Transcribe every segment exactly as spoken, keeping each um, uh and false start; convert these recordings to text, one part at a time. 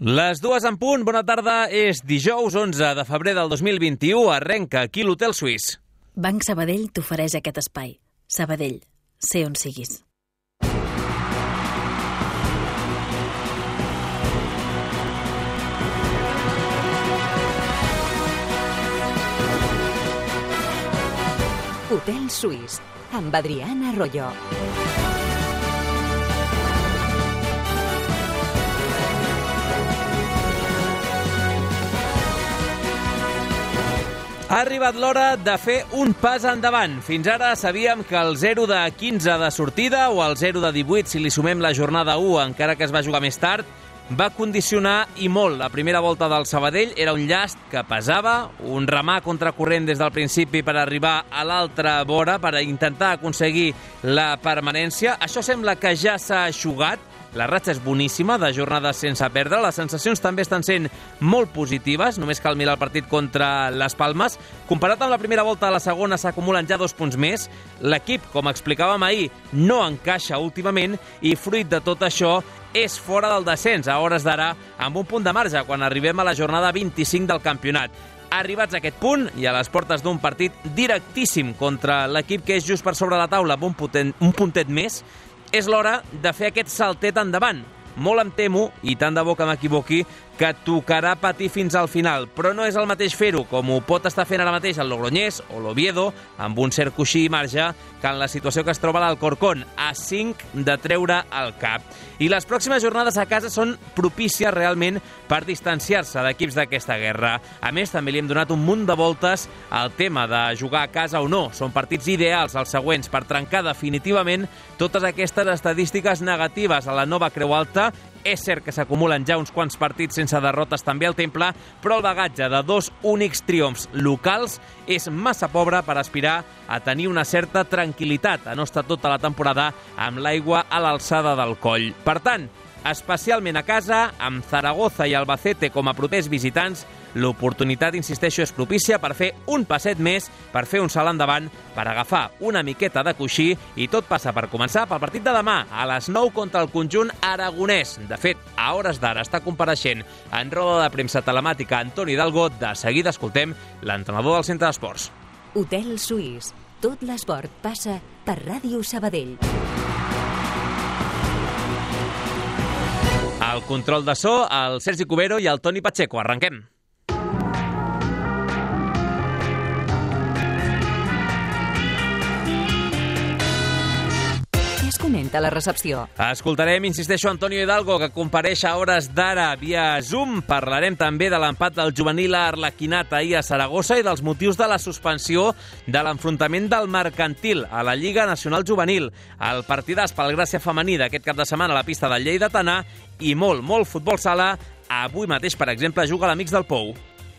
Les dues en punt, bona tarda, és dijous onze de febrer del dos mil vint-i-u, arrenca aquí l'Hotel Suís. Banc Sabadell t'ofereix aquest espai. Sabadell, sé on siguis. Hotel Suís, amb Adriana Arroyo. Ha arribat l'hora de fer un pas endavant. Fins ara sabíem que el zero de quinze de sortida o el zero de divuit, si li sumem la jornada u, encara que es va jugar més tard, va condicionar i molt. La primera volta del Sabadell era un llast que pesava, un remar contracorrent des del principi per arribar a l'altra vora, per intentar aconseguir la permanència. Això sembla que ja s'ha eixugat. La ratxa és boníssima, de jornades sense perdre. Les sensacions també estan sent molt positives. Només cal mirar el partit contra les Palmes. Comparat amb la primera volta, a la segona s'acumulen ja dos punts més. L'equip, com explicàvem ahir, no encaixa últimament i fruit de tot això és fora del descens a hores d'ara, amb un punt de marge quan arribem a la jornada vint-i-cinc del campionat. Arribats a aquest punt i a les portes d'un partit directíssim contra l'equip que és just per sobre la taula amb un, potent, un puntet més, és l'hora de fer aquest saltet endavant. Molt em temo, i tant de bo que m'equivoqui, que tocarà patir fins al final. Però no és el mateix fer-ho, com ho pot estar fent ara mateix el Logroñés o l'Oviedo, amb un cert coixí i marge, que en la situació que es troba l'Alcorcón, a cinc de treure el cap. I les pròximes jornades a casa són propícies realment per distanciar-se d'equips d'aquesta guerra. A més, també li hem donat un munt de voltes al tema de jugar a casa o no. Són partits ideals els següents per trencar definitivament totes aquestes estadístiques negatives a la nova Creu Alta. És cert que s'acumulen ja uns quants partits sense derrotes també al Temple, però el bagatge de dos únics triomfs locals és massa pobre per aspirar a tenir una certa tranquil·litat, a no estar tota la temporada amb l'aigua a l'alçada del coll. Per tant, especialment a casa, amb Zaragoza i Albacete com a propers visitants, l'oportunitat, insisteixo, és propícia per fer un passet més, per fer un salt endavant, per agafar una miqueta de coixí, i tot passa per començar pel partit de demà, a les nou contra el conjunt aragonès. De fet, a hores d'ara està compareixent en roda de premsa telemàtica Antoni Hidalgo. De seguida escoltem l'entrenador del Centre d'Esports. Hotel Suís. Tot l'esport passa per Ràdio Sabadell. El control de so, el Sergi Cubero i el Toni Pacheco. Arrenquem. Comenta la recepció. Escoltarem, insisteixo, Antonio Hidalgo, que compareix a hores d'ara via Zoom. Parlarem també de l'empat del juvenil arlequinat ahir a Saragossa i dels motius de la suspensió de l'enfrontament del Mercantil a la Lliga Nacional Juvenil. El partidàs pel Gràcia femení d'aquest cap de setmana a la pista del Lleidatana i molt, molt futbol sala. Avui mateix, per exemple, juga l'Amics del Pou.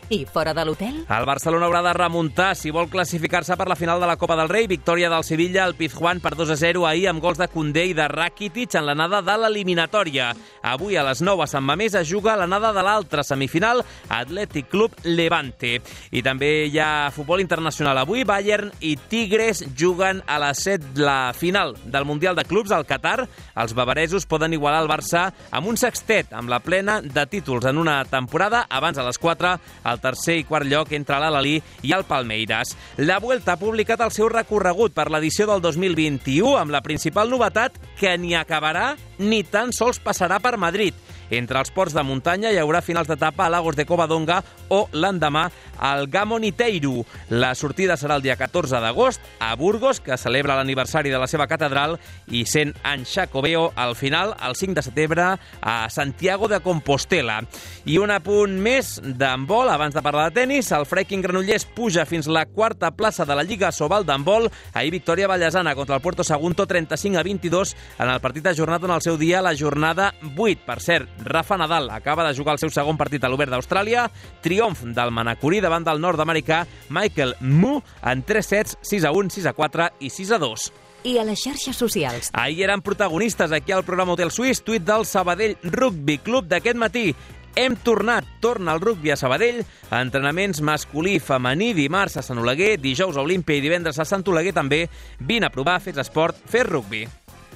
I fora de l'hotel? El Barcelona haurà de remuntar si vol classificar-se per la final de la Copa del Rei. Victòria del Sevilla al Pizjuán per dos a zero ahir amb gols de Koundé i de Rakitic en l'anada de l'eliminatòria. Avui a les nou a Sant Mamés es juga l'anada de l'altra semifinal, Athletic Club Levante. I també hi ha futbol internacional avui. Bayern i Tigres juguen a les set la final del Mundial de Clubs al Qatar. Els bavaresos poden igualar el Barça amb un sextet, amb la plena de títols en una temporada. Abans a les quatre, el el tercer i quart lloc entre l'Al-Ahly i el Palmeiras. La Vuelta ha publicat el seu recorregut per l'edició del dos mil vint-i-u amb la principal novetat que ni acabarà ni tan sols passarà per Madrid. Entre els ports de muntanya hi haurà finals d'etapa a Lagos de Covadonga o l'endemà al Gamoniteiru. La sortida serà el dia catorze d'agost a Burgos, que celebra l'aniversari de la seva catedral, i cent anys Xacobeo al final, el cinc de setembre, a Santiago de Compostela. I un apunt més d'handbol, abans de parlar de tenis, el Freiking Granollers puja fins la quarta plaça de la Lliga Sobal d'handbol. Ahir victòria ballesana contra el Puerto Sagunto, trenta-cinc a vint-i-dos, en el partit ajornat en el seu dia, la jornada vuit. Per cert, Rafa Nadal acaba de jugar el seu segon partit a l'Obert d'Austràlia. Triomf del manacorí davant del nord-americà Michael Mu en tres sets, sis a un, sis a quatre i sis a dos. I a les xarxes socials. Ahir eren protagonistes aquí al programa Hotel Suís, tuit del Sabadell Rugby Club d'aquest matí. Hem tornat, torna el rugby a Sabadell, entrenaments masculí i femení, dimarts a Sant Oleguer, dijous a Olímpia i divendres a Sant Oleguer també. Vine a provar, fes esport, fes rugby.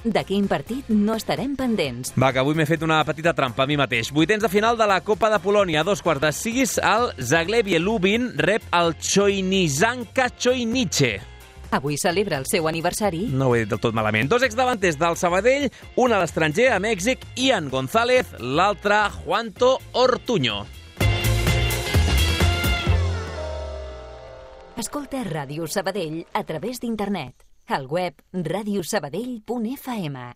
De quin partit no estarem pendents? Va, que avui m'he fet una petita trampa a mi mateix. Vuitens de final de la Copa de Polònia. A dos quarts de sis, el Zagłębie Lubin rep el Chojnizanka Chojnice. Avui celebra el seu aniversari. No ho he dit del tot malament. Dos exdavanters del Sabadell, un a l'estranger, a Mèxic, Ian González, l'altre, Juanto Ortuño. Escolta Ràdio Sabadell a través d'internet. Al web radio sabadell punt f m.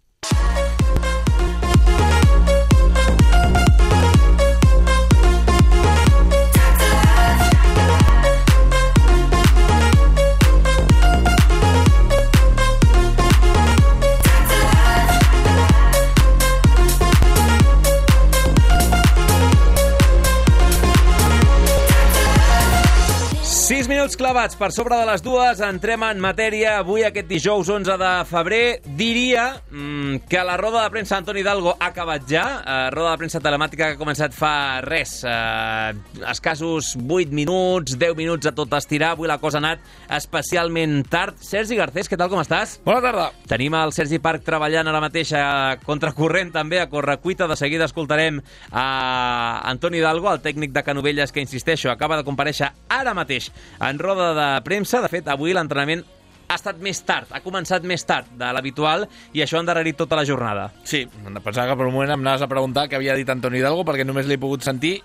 Sis minuts clavats per sobre de les dues, entrem en matèria. Avui, aquest dijous onze de febrer, diria mmm, que la roda de premsa Antoni Hidalgo ha acabat ja. Uh, roda de premsa telemàtica que ha començat fa res, uh, escassos vuit minuts, deu minuts a tot estirar. Avui la cosa ha anat especialment tard. Sergi Garcés, què tal, com estàs? Bona tarda. Tenim el Sergi Parc treballant ara mateix a contracorrent, també, a correcuita. De seguida escoltarem a Antoni Hidalgo, el tècnic de Canovelles, que, insisteixo, acaba de comparèixer ara mateix en roda de premsa. De fet, avui l'entrenament ha estat més tard, ha començat més tard de l'habitual i això ha endarrerit tota la jornada. Sí, pensava que per un moment em anaves a preguntar què havia dit Antoni Hidalgo, perquè només l'he pogut sentir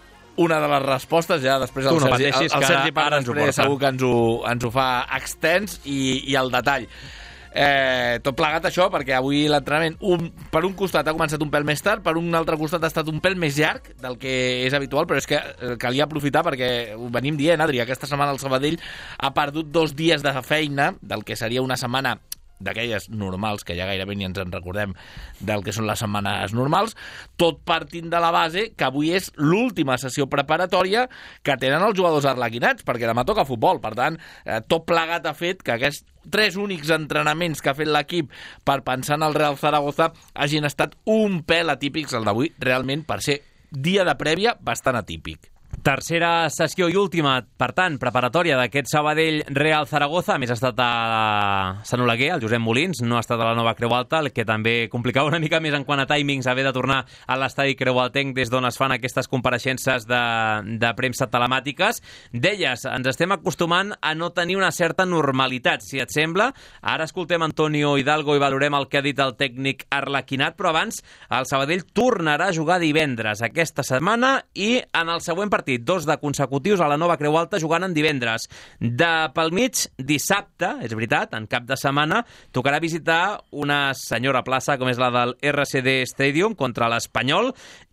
una de les respostes. Ja després el tu no Sergi, pateixis, el, el Sergi que ara ens ho porta. Segur que ens ho, ens ho fa extens i, i al detall. Eh, tot plegat això, perquè avui l'entrenament un, per un costat ha començat un pèl més tard, per un altre costat ha estat un pèl més llarg del que és habitual, però és que calia aprofitar, perquè ho venim dient, Adri, aquesta setmana el Sabadell ha perdut dos dies de feina del que seria una setmana d'aquelles normals, que ja gairebé ni ens en recordem del que són les setmanes normals, tot partint de la base que avui és l'última sessió preparatòria que tenen els jugadors arlequinats, perquè demà toca futbol. Per tant, eh, tot plegat ha fet que aquests tres únics entrenaments que ha fet l'equip per pensar en el Real Zaragoza hagin estat un pèl atípics. El d'avui, realment, per ser dia de prèvia, bastant atípic. Tercera sessió i última, per tant, preparatòria d'aquest Sabadell-Real Zaragoza. A més, ha estat a Sant Oleguer, el Josep Molins, no ha estat a la nova Creu Alta, el que també complicava una mica més en quant a timings haver de tornar a l'estadi creualtenc des d'on es fan aquestes compareixences de, de premsa telemàtiques. Deies, ens estem acostumant a no tenir una certa normalitat, si et sembla. Ara escoltem Antonio Hidalgo i valorem el que ha dit el tècnic arlequinat, però abans el Sabadell tornarà a jugar divendres aquesta setmana i en el següent partit, dos de consecutius a la nova Creu Alta jugant en divendres. De pel mig, dissabte, és veritat, en cap de setmana, tocarà visitar una senyora plaça com és la del R C D Stadium contra l'Espanyol.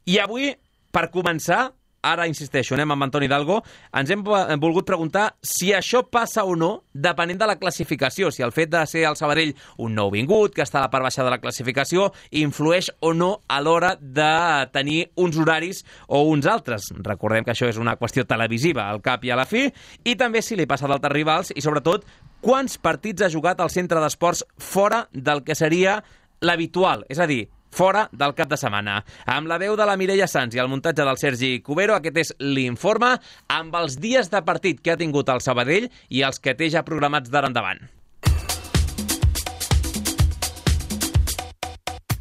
I avui, per començar, ara insisteixo, anem amb Antoni Hidalgo, ens hem volgut preguntar si això passa o no depenent de la classificació, si el fet de ser el Sabadell un nou vingut, que està a la part baixa de la classificació, influeix o no a l'hora de tenir uns horaris o uns altres. Recordem que això és una qüestió televisiva al cap i a la fi, i també si li passa d'altres rivals, i sobretot quants partits ha jugat al centre d'esports fora del que seria l'habitual, és a dir, fora del cap de setmana. Amb la veu de la Mireia Sanz i el muntatge del Sergi Cubero, aquest és l'informe amb els dies de partit que ha tingut el Sabadell i els que té ja programats d'ara endavant.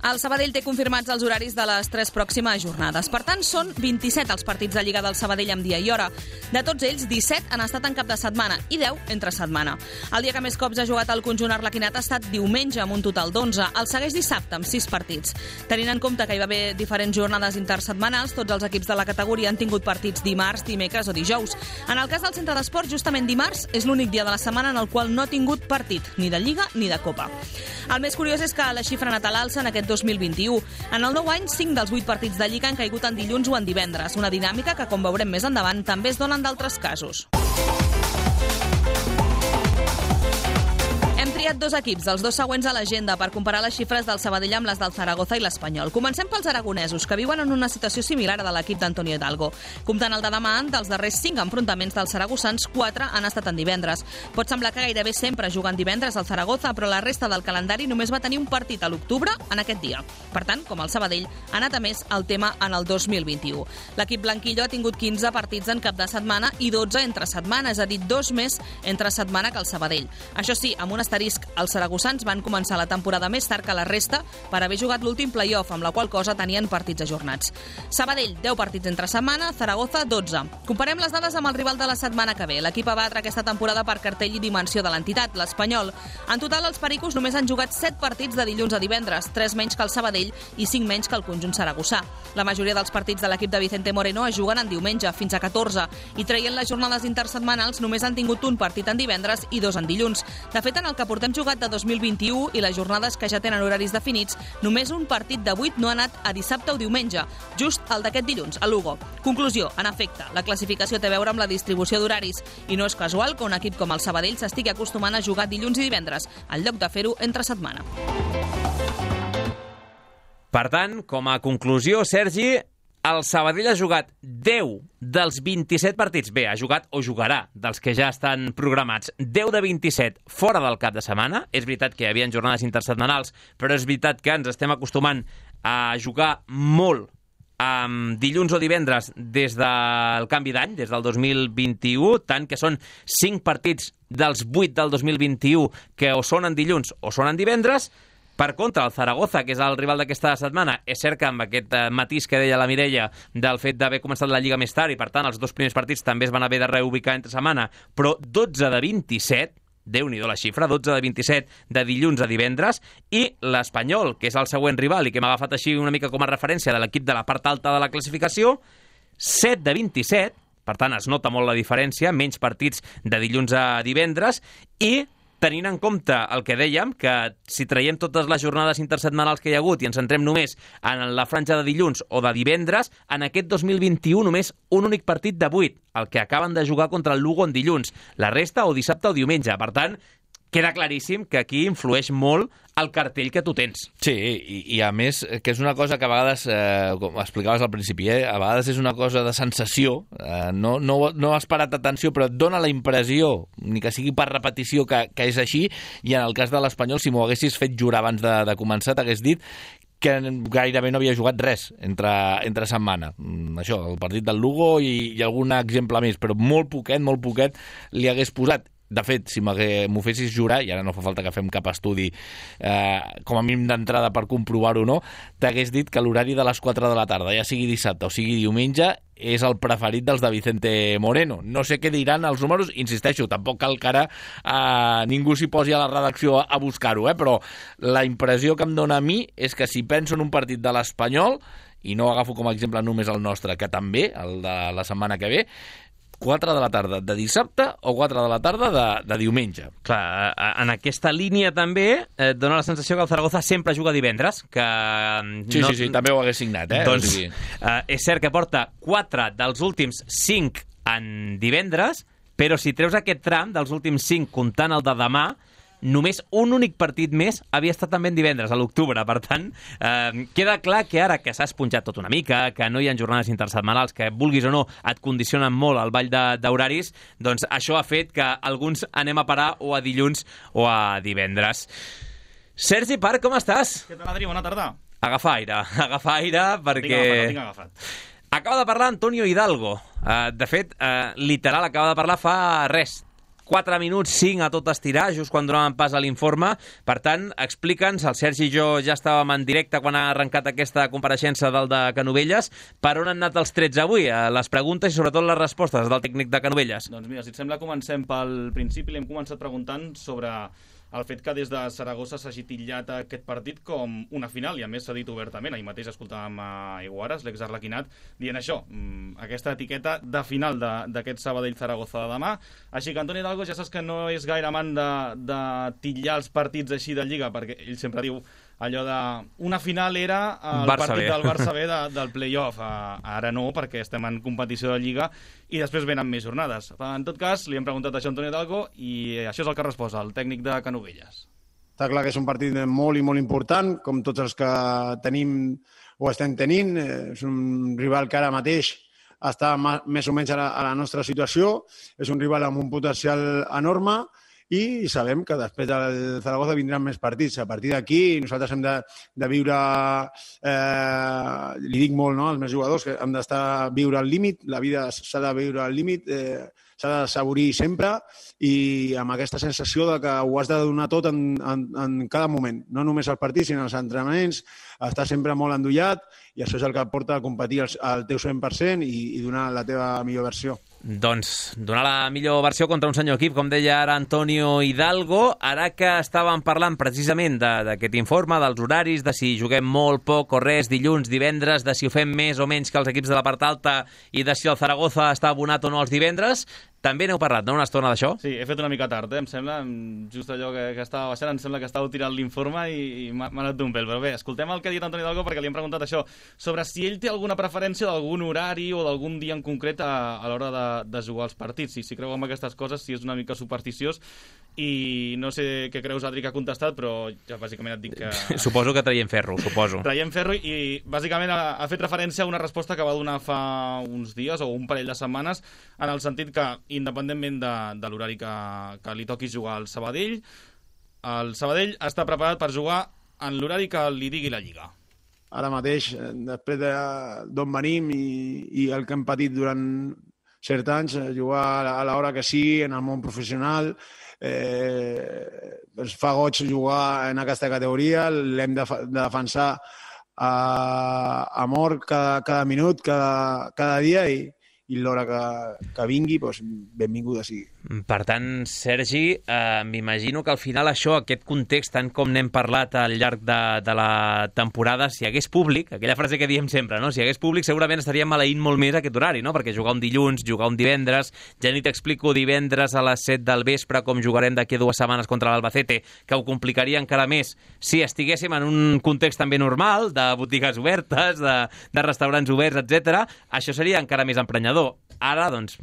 El Sabadell té confirmats els horaris de les tres pròximes jornades. Per tant, són vint-i-set els partits de Lliga del Sabadell amb dia i hora. De tots ells, disset han estat en cap de setmana i deu entre setmana. El dia que més cops ha jugat el conjunt arlequinat ha estat diumenge, amb un total d'onze. El segueix dissabte, amb sis partits. Tenint en compte que hi va haver diferents jornades intersetmanals, tots els equips de la categoria han tingut partits dimarts, dimecres o dijous. En el cas del centre d'esports, justament dimarts és l'únic dia de la setmana en el qual no ha tingut partit, ni de Lliga ni de Copa. El més curiós és que la xifra ha anat a l'alça en aquest dos mil vint-i-u. En el nou any, cinc dels vuit partits de Lliga han caigut en dilluns o en divendres, una dinàmica que, com veurem més endavant, també es dona en d'altres casos. Hem triat dos equips, els dos següents a l'agenda, per comparar les xifres del Sabadell amb les del Zaragoza i l'Espanyol. Comencem pels aragonesos, que viuen en una situació similar a de l'equip d'Antonio Hidalgo. Comptant el de demà, dels darrers cinc enfrontaments dels saragossans, quatre han estat en divendres. Pot semblar que gairebé sempre juguen divendres al Zaragoza, però la resta del calendari només va tenir un partit a l'octubre en aquest dia. Per tant, com el Sabadell, ha anat a més el tema en el dos mil vint-i-u. L'equip blanquillo ha tingut quinze partits en cap de setmana i dotze entre setmana, és a dir, dos més entre setmana que el Sabadell. Això sí, amb un asterisc Vic. Els saragossans van començar la temporada més tard que la resta per haver jugat l'últim play-off, amb la qual cosa tenien partits ajornats. Sabadell, deu partits entre setmana, Zaragoza, dotze. Comparem les dades amb el rival de la setmana que ve. L'equip a batre aquesta temporada per cartell i dimensió de l'entitat, l'Espanyol. En total, els pericos només han jugat set partits de dilluns a divendres, tres menys que el Sabadell i cinc menys que el conjunt saragossà. La majoria dels partits de l'equip de Vicente Moreno es juguen en diumenge, fins a catorze, i traient les jornades intersetmanals només han tingut un partit en divendres i dos en dilluns. De fet, en el que portem jugat de dos mil vint-i-u i les jornades que ja tenen horaris definits, només un partit de vuit no ha anat a dissabte o diumenge, just el d'aquest dilluns, a Lugo. Conclusió, en efecte, la classificació té a veure amb la distribució d'horaris i no és casual que un equip com el Sabadell s'estigui acostumant a jugar dilluns i divendres, en lloc de fer-ho entre setmana. Per tant, com a conclusió, Sergi, el Sabadell ha jugat deu dels vint-i-set partits. Bé, ha jugat o jugarà dels que ja estan programats. deu de vint-i-set fora del cap de setmana. És veritat que hi havia jornades intersetmanals, però és veritat que ens estem acostumant a jugar molt amb dilluns o divendres des del canvi d'any, des del dos mil vint-i-u, tant que són cinc partits dels vuit del dos mil vint-i-u que o són en dilluns o són en divendres. Per contra, el Zaragoza, que és el rival d'aquesta setmana, és cert que amb aquest matís que deia la Mireia del fet d'haver començat la Lliga més tard i, per tant, els dos primers partits també es van haver de reubicar entre setmana, però dotze de vint-i-set, Déu-n'hi-do la xifra, dotze de vint-i-set de dilluns a divendres, i l'Espanyol, que és el següent rival i que m'ha agafat així una mica com a referència de l'equip de la part alta de la classificació, set de vint-i-set, per tant, es nota molt la diferència, menys partits de dilluns a divendres, i tenint en compte el que dèiem, que si traiem totes les jornades intersetmanals que hi ha hagut i ens centrem només en la franja de dilluns o de divendres, en aquest dos mil vint-i-u només un únic partit de vuit, el que acaben de jugar contra el Lugo en dilluns. La resta o dissabte o diumenge. Per tant, queda claríssim que aquí influeix molt el cartell que tu tens. Sí, i, i a més, que és una cosa que a vegades, eh, com explicaves al principi, eh, a vegades és una cosa de sensació, eh, no, no, no has parat atenció, però et dona la impressió, ni que sigui per repetició, que, que és així, i en el cas de l'Espanyol, si m'ho haguessis fet jurar abans de, de començar, t'hagués dit que gairebé no havia jugat res entre, entre setmana. Mm, això, el partit del Lugo i, i algun exemple més, però molt poquet, molt poquet li hagués posat. De fet, si m'ho fessis jurar, i ara no fa falta que fem cap estudi eh, com a mínim d'entrada per comprovar-ho o no, t'hagués dit que l'horari de les quatre de la tarda, ja sigui dissabte o sigui diumenge, és el preferit dels de Vicente Moreno. No sé què diran els números, insisteixo, tampoc cal que ara eh, ningú s'hi posi a la redacció a, a buscar-ho, eh, però la impressió que em dona a mi és que si penso en un partit de l'Espanyol, i no agafo com a exemple només el nostre, que també, el de la setmana que ve, quatre de la tarda de dissabte o quatre de la tarda de, de diumenge. Clar, en aquesta línia també eh, dona la sensació que el Zaragoza sempre juga divendres, que... Sí, no... sí, sí, també ho hagués signat, eh? Doncs o sigui... eh, és cert que porta quatre dels últims cinc en divendres, però si treus aquest tram dels últims cinc comptant el de demà, només un únic partit més havia estat també en divendres, a l'octubre. Per tant, eh, queda clar que ara que s'ha esponjat tot una mica, que no hi ha jornades intersetmanals, que vulguis o no et condicionen molt el ball d'horaris, doncs això ha fet que alguns anem a parar o a dilluns o a divendres. Sergi Parc, com estàs? Què tal, Adri? Bona tarda. Agafa aire, agafa aire, perquè... Tinc agafat, tinc agafat. Acaba de parlar Antonio Hidalgo. Uh, de fet, uh, literal, acaba de parlar fa res. quatre minuts, cinc a tot estirar, just quan donàvem pas a l'informe. Per tant, explica'ns, el Sergi i jo ja estàvem en directe quan ha arrencat aquesta compareixença del de Canovelles. Per on han anat els trets avui? Les preguntes i sobretot les respostes del tècnic de Canovelles. Doncs mira, si et sembla, comencem pel principi. Li hem començat preguntant sobre el fet que des de Saragossa s'hagi titllat aquest partit com una final, i a més s'ha dit obertament. Ahir mateix escoltàvem a Iguares, l'exarlequinat, dient això, aquesta etiqueta de final d'aquest Sabadell-Zaragoza de demà. Així que Antoni Hidalgo ja saps que no és gaire amant de, de titllar els partits així de Lliga, perquè ell sempre diu allò de... Una final era el Barça partit B. del Barça B de, del play-off. Ara no, perquè estem en competició de Lliga i després venen més jornades. En tot cas, li hem preguntat això a Antoni Hidalgo i això és el que resposa el tècnic de Canovelles. Està clar que és un partit molt i molt important, com tots els que tenim o estem tenint. És un rival que ara mateix està més o menys a la, a la nostra situació. És un rival amb un potencial enorme i sabem que després del Zaragoza vindran més partits. A partir d'aquí nosaltres hem de, de viure, eh, li dic molt, no?, als meus jugadors, que hem d'estar viure al límit, la vida s'ha de viure al límit, eh, s'ha de saborir sempre i amb aquesta sensació de que ho has de donar tot en, en, en cada moment, no només als partits sinó als entrenaments, estar sempre molt endollat i això és el que et porta a competir al, al teu cent per cent i, i donar la teva millor versió. Doncs donar la millor versió contra un senyor equip, com deia ara Antonio Hidalgo. Ara que estàvem parlant precisament d'aquest informe, dels horaris, de si juguem molt, poc o res, dilluns, divendres, de si ho fem més o menys que els equips de la part alta i de si el Zaragoza està abonat o no els divendres, també n'heu parlat, no?, una estona d'això? Sí, he fet una mica tard, eh? Em sembla, just allò que, que estava baixant, em sembla que estàveu tirant l'informe i, i m'ha anat d'un pèl. Però bé, escoltem el que ha dit Antoni Hidalgo perquè li hem preguntat això, sobre si ell té alguna preferència d'algun horari o d'algun dia en concret a, a l'hora de, de jugar als partits. Si, si creu en aquestes coses, si és una mica supersticiós, i no sé què creus, Adri, que ha contestat, però ja bàsicament et dic que... Suposo que traiem ferro, suposo. Traiem ferro i bàsicament ha, ha fet referència a una resposta que va donar fa uns dies o un parell de setmanes, en el sentit que, independentment de, de l'horari que, que li toqui jugar al Sabadell, el Sabadell està preparat per jugar en l'horari que li digui la Lliga. Ara mateix, després d'on venim i, i el que hem patit durant certs anys, jugar a l'hora que sigui, en el món professional, eh, ens fa goig jugar en aquesta categoria, l'hem de, de defensar a, a mort cada, cada minut, cada, cada dia i, i l'hora que, que vingui, doncs, benvinguda sigui. Per tant, Sergi, eh, m'imagino que al final això, aquest context, tant com n'hem parlat al llarg de, de la temporada, si hi hagués públic, aquella frase que diem sempre, no? Si hi hagués públic segurament estaríem maleint molt més aquest horari, no? Perquè jugar un dilluns, jugar un divendres, ja ni t'explico divendres a les set del vespre com jugarem d'aquí dues setmanes contra l'Albacete, que ho complicaria encara més si estiguéssim en un context també normal, de botigues obertes, de, de restaurants oberts, etcètera. Això seria encara més emprenyador. Ara, doncs,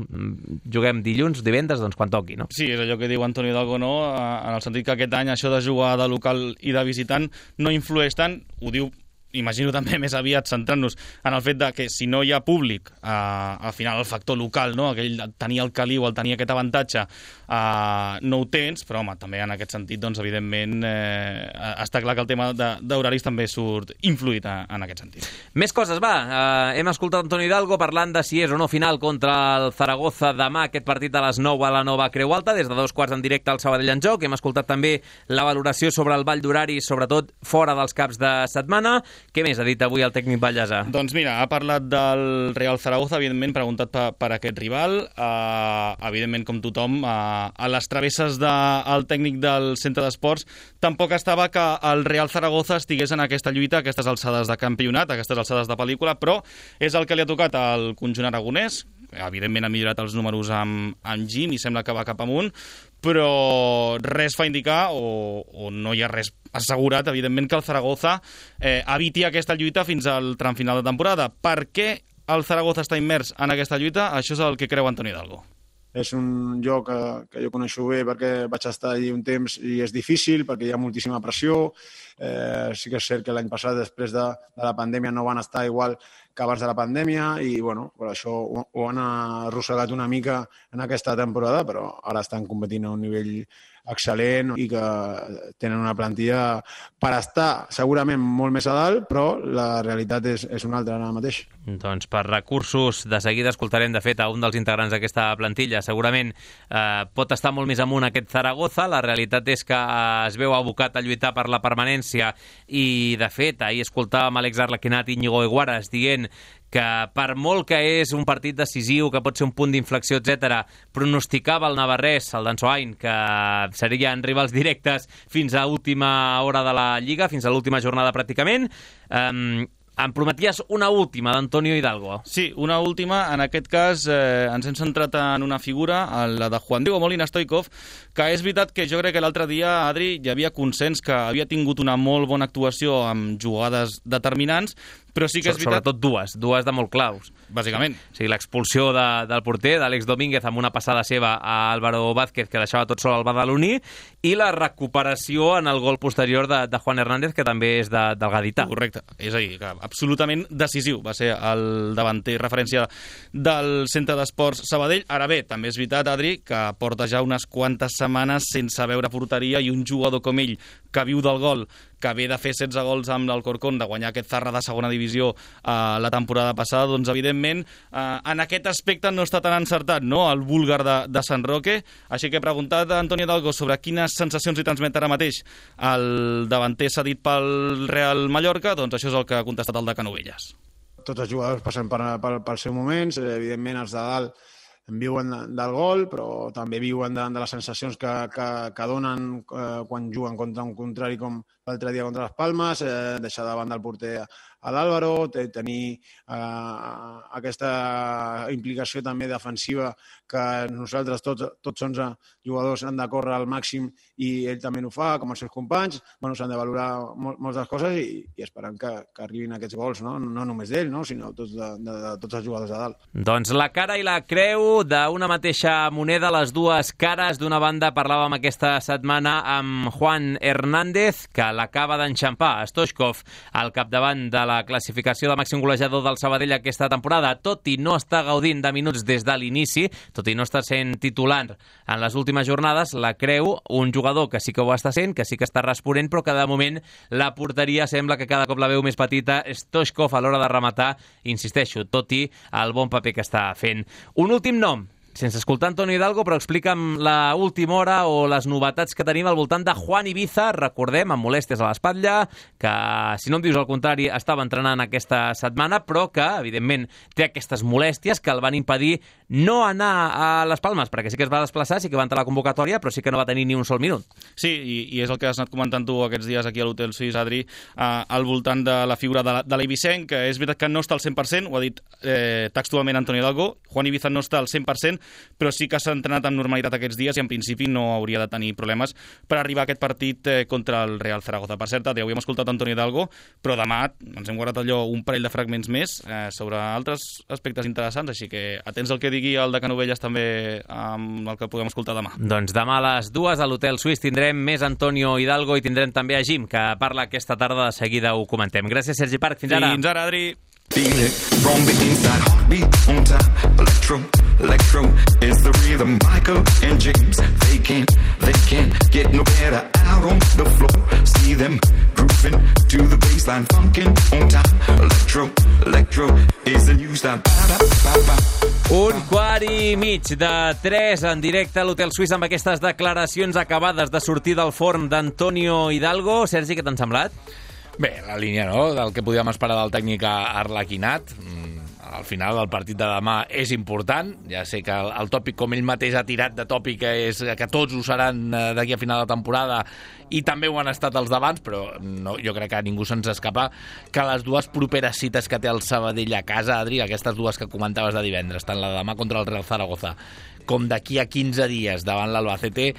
juguem dilluns, divendres, doncs quan toqui, no? Sí, és allò que diu Antoni Hidalgo, no? En el sentit que aquest any això de jugar de local i de visitant no influeix tant, ho diu, imagino també més aviat centrant-nos en el fet de que si no hi ha públic, eh, al final el factor local, no? Aquell tenir el caliu, el tenir aquest avantatge, eh, no ho tens, però home, també en aquest sentit, doncs, evidentment, eh, està clar que el tema d'horaris també surt influït a, en aquest sentit. Més coses, va. Eh, hem escoltat Antoni Hidalgo parlant de si és o no final contra el Zaragoza demà, aquest partit a les nou a la nova Creu Alta, des de dos quarts en directe al Sabadell en joc. Hem escoltat també la valoració sobre el ball d'horaris, sobretot fora dels caps de setmana. Què més ha dit avui el tècnic Ballàs? Doncs mira, ha parlat del Real Zaragoza, evidentment, preguntat per, per aquest rival. Uh, evidentment, com tothom, uh, a les travesses del tècnic del centre d'esports tampoc estava que el Real Zaragoza estigués en aquesta lluita, a aquestes alçades de campionat, a aquestes alçades de pel·lícula, però és el que li ha tocat al conjunt aragonès. Evidentment ha millorat els números amb, amb Gim i sembla que va cap amunt, però res fa indicar, o, o no hi ha res assegurat, evidentment, que el Zaragoza eh, eviti aquesta lluita fins al tram final de temporada. Per què el Zaragoza està immers en aquesta lluita? Això és el que creu Antoni Hidalgo. És un lloc que, que jo coneixo bé perquè vaig estar allí un temps i és difícil perquè hi ha moltíssima pressió. Eh, sí que és cert que l'any passat, després de, de la pandèmia, no van estar igual que abans de la pandèmia i, bueno, per això ho, ho han arrossegat una mica en aquesta temporada, però ara estan competint a un nivell excel·lent i que tenen una plantilla per estar segurament molt més a dalt, però la realitat és, és una altra ara mateix. Doncs per recursos, de seguida escoltarem de fet a un dels integrants d'aquesta plantilla. Segurament eh, pot estar molt més amunt aquest Zaragoza. La realitat és que eh, es veu abocat a lluitar per la permanència i, de fet, ahir escoltàvem Àlex Arlequinat i Íñigo Eguaras dient que per molt que és un partit decisiu, que pot ser un punt d'inflexió, etcètera, pronosticava el navarrès, el d'Ansoain, que serien rivals directes fins a última hora de la Lliga, fins a l'última jornada pràcticament. Um, em prometies una última d'Antonio Hidalgo. Sí, una última. En aquest cas eh, ens hem centrat en una figura, la de Juan Diego Molina Stoikov, que és veritat que jo crec que l'altre dia, Adri, hi havia consens que havia tingut una molt bona actuació amb jugades determinants, però sí que és veritat... Sobretot dues, dues de molt claus. Bàsicament. O sigui, l'expulsió de, del porter, d'Àlex Domínguez, amb una passada seva a Álvaro Vázquez, que deixava tot sol al Badaloní, i la recuperació en el gol posterior de, de Juan Hernández, que també és de, del gadità. Correcte. És a dir, que absolutament decisiu. Va ser el davanter referència del Centre d'Esports Sabadell. Ara bé, també és veritat, Adri, que porta ja unes quantes setmanes sense veure porteria i un jugador com ell, que viu del gol, que ve de fer setze gols amb l'Alcorcón, de guanyar aquest Zarra de segona divisió eh, la temporada passada, doncs evidentment eh, en aquest aspecte no està tan encertat, no?, el búlgar de, de Sant Roque. Així que he preguntat a Antonio Hidalgo sobre quines sensacions li transmet ara mateix el davanter cedit pel Real Mallorca, doncs això és el que ha contestat el de Canovelles. Tots els jugadors passen per, per, pels seus moments, evidentment els de dalt viuen del gol, però també viuen de, de les sensacions que, que, que donen eh, quan juguen contra un contrari com l'altre dia contra les Palmes, eh, deixar davant del porter a l'Àlvaro, tenir eh, aquesta implicació també defensiva que nosaltres, tots, tots onze jugadors han de córrer al màxim i ell també ho fa, com els seus companys. Bueno, s'han de valorar mol, moltes coses i, i esperant que, que arribin aquests gols, no, no només d'ell, no, sinó tots de, de, de tots els jugadors de dalt. Doncs la cara i la creu d'una mateixa moneda, les dues cares. D'una banda parlàvem aquesta setmana amb Juan Hernández, que l'acaba d'enxampar Stoichkov al capdavant de la classificació de màxim golejador del Sabadell aquesta temporada, tot i no està gaudint de minuts des de l'inici, tot i no està sent titular en les últimes jornades. La creu, un jugador que sí que ho està sent, que sí que està responent, però que de moment la porteria sembla que cada cop la veu més petita. Stoichkov a l'hora de rematar, insisteixo, tot i el bon paper que està fent. Un últim nom, sense escoltar Antonio Hidalgo, però explica'm la última hora o les novetats que tenim al voltant de Juan Ibiza. Recordem, amb molèsties a l'espatlla, que, si no em dius el contrari, estava entrenant aquesta setmana, però que, evidentment, té aquestes molèsties que el van impedir no anar a les Palmes, perquè sí que es va desplaçar, sí que va entrar a la convocatòria, però sí que no va tenir ni un sol minut. Sí, i, i és el que has anat comentant tu aquests dies aquí a l'Hotel Suís, Adri, eh, al voltant de la figura de, de l'Eivissenc, que és veritat que no està al cent per cent, ho ha dit eh, textualment Antonio Hidalgo. Juan Ibiza no està al cent per cent, però sí que s'ha entrenat amb normalitat aquests dies i en principi no hauria de tenir problemes per arribar a aquest partit eh, contra el Real Zaragoza. Per cert, ja ho hem escoltat Antonio Hidalgo, però demà ens hem guardat allò un parell de fragments més eh, sobre altres aspectes interessants, així que atents al que digui el de Canovelles també amb el que puguem escoltar demà. Doncs demà a les dues a l'Hotel Suís tindrem més Antonio Hidalgo i tindrem també a Jim, que parla aquesta tarda, de seguida ho comentem. Gràcies, Sergi Parc. Fins ara. Fins ara, Adri. Feel it from the inside, heartbeat on time. Electro, electro is the rhythm. Michael and James, they can't, they can't get no better out on the floor. See them grooving to the baseline, funkin' on time. Electro, electro is the new style. Un quart i mig de tres en directe a l'Hotel Suís amb aquestes declaracions acabades de sortir del forn d'Antonio Hidalgo. Sergi, què t'han semblat? Bé, la línia, no?, del que podíem esperar del tècnic Arlequinat. Al final el partit de demà és important. Ja sé que el, el tòpic, com ell mateix ha tirat de tòpic, és que tots ho seran d'aquí a final de temporada, i també ho han estat els d'abans, però no, jo crec que a ningú se'ns escapa que les dues properes cites que té el Sabadell a casa, Adri, aquestes dues que comentaves de divendres, tant la de demà contra el Real Zaragoza com d'aquí a quinze dies davant l'Albacete,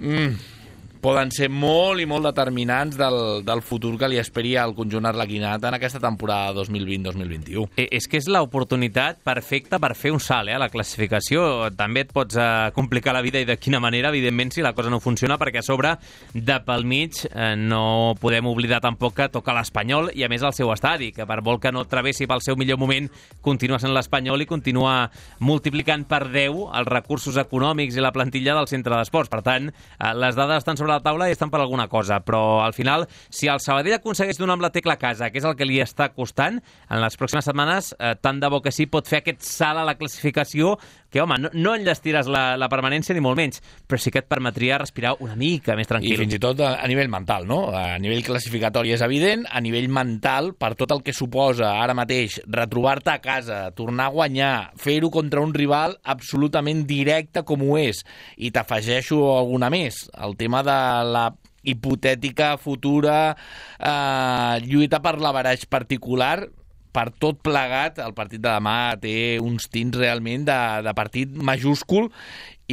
mmm, poden ser molt i molt determinants del, del futur que li esperi al conjunt arlequinat en aquesta temporada dos mil vint dos mil vint-u. Eh, és que és l'oportunitat perfecta per fer un salt, eh, a la classificació. També et pots eh, complicar la vida, i de quina manera, evidentment, si la cosa no funciona, perquè a sobre, de pel mig, eh, no podem oblidar tampoc que toca l'Espanyol, i a més al seu estadi, que per molt que no travessi pel seu millor moment, continua sent l'Espanyol i continua multiplicant per deu els recursos econòmics i la plantilla del centre d'esports. Per tant, eh, les dades estan sobre la taula i estan per alguna cosa, però al final, si el Sabadell aconsegueix donar amb la tecla a casa, que és el que li està costant, en les pròximes setmanes, eh, tant de bo que sí, pot fer aquest salt a la classificació, que, home, no, no enllestiràs la, la permanència ni molt menys, però sí que et permetria respirar una mica més tranquil. I fins i tot a, a nivell mental, no? A nivell classificatori és evident, a nivell mental, per tot el que suposa ara mateix retrobar-te a casa, tornar a guanyar, fer-ho contra un rival absolutament directe com ho és, i t'afegeixo alguna més, el tema de la hipotètica futura eh, lluita per l'averaix particular. Per tot plegat, el partit de demà té uns tints realment de, de partit majúscul,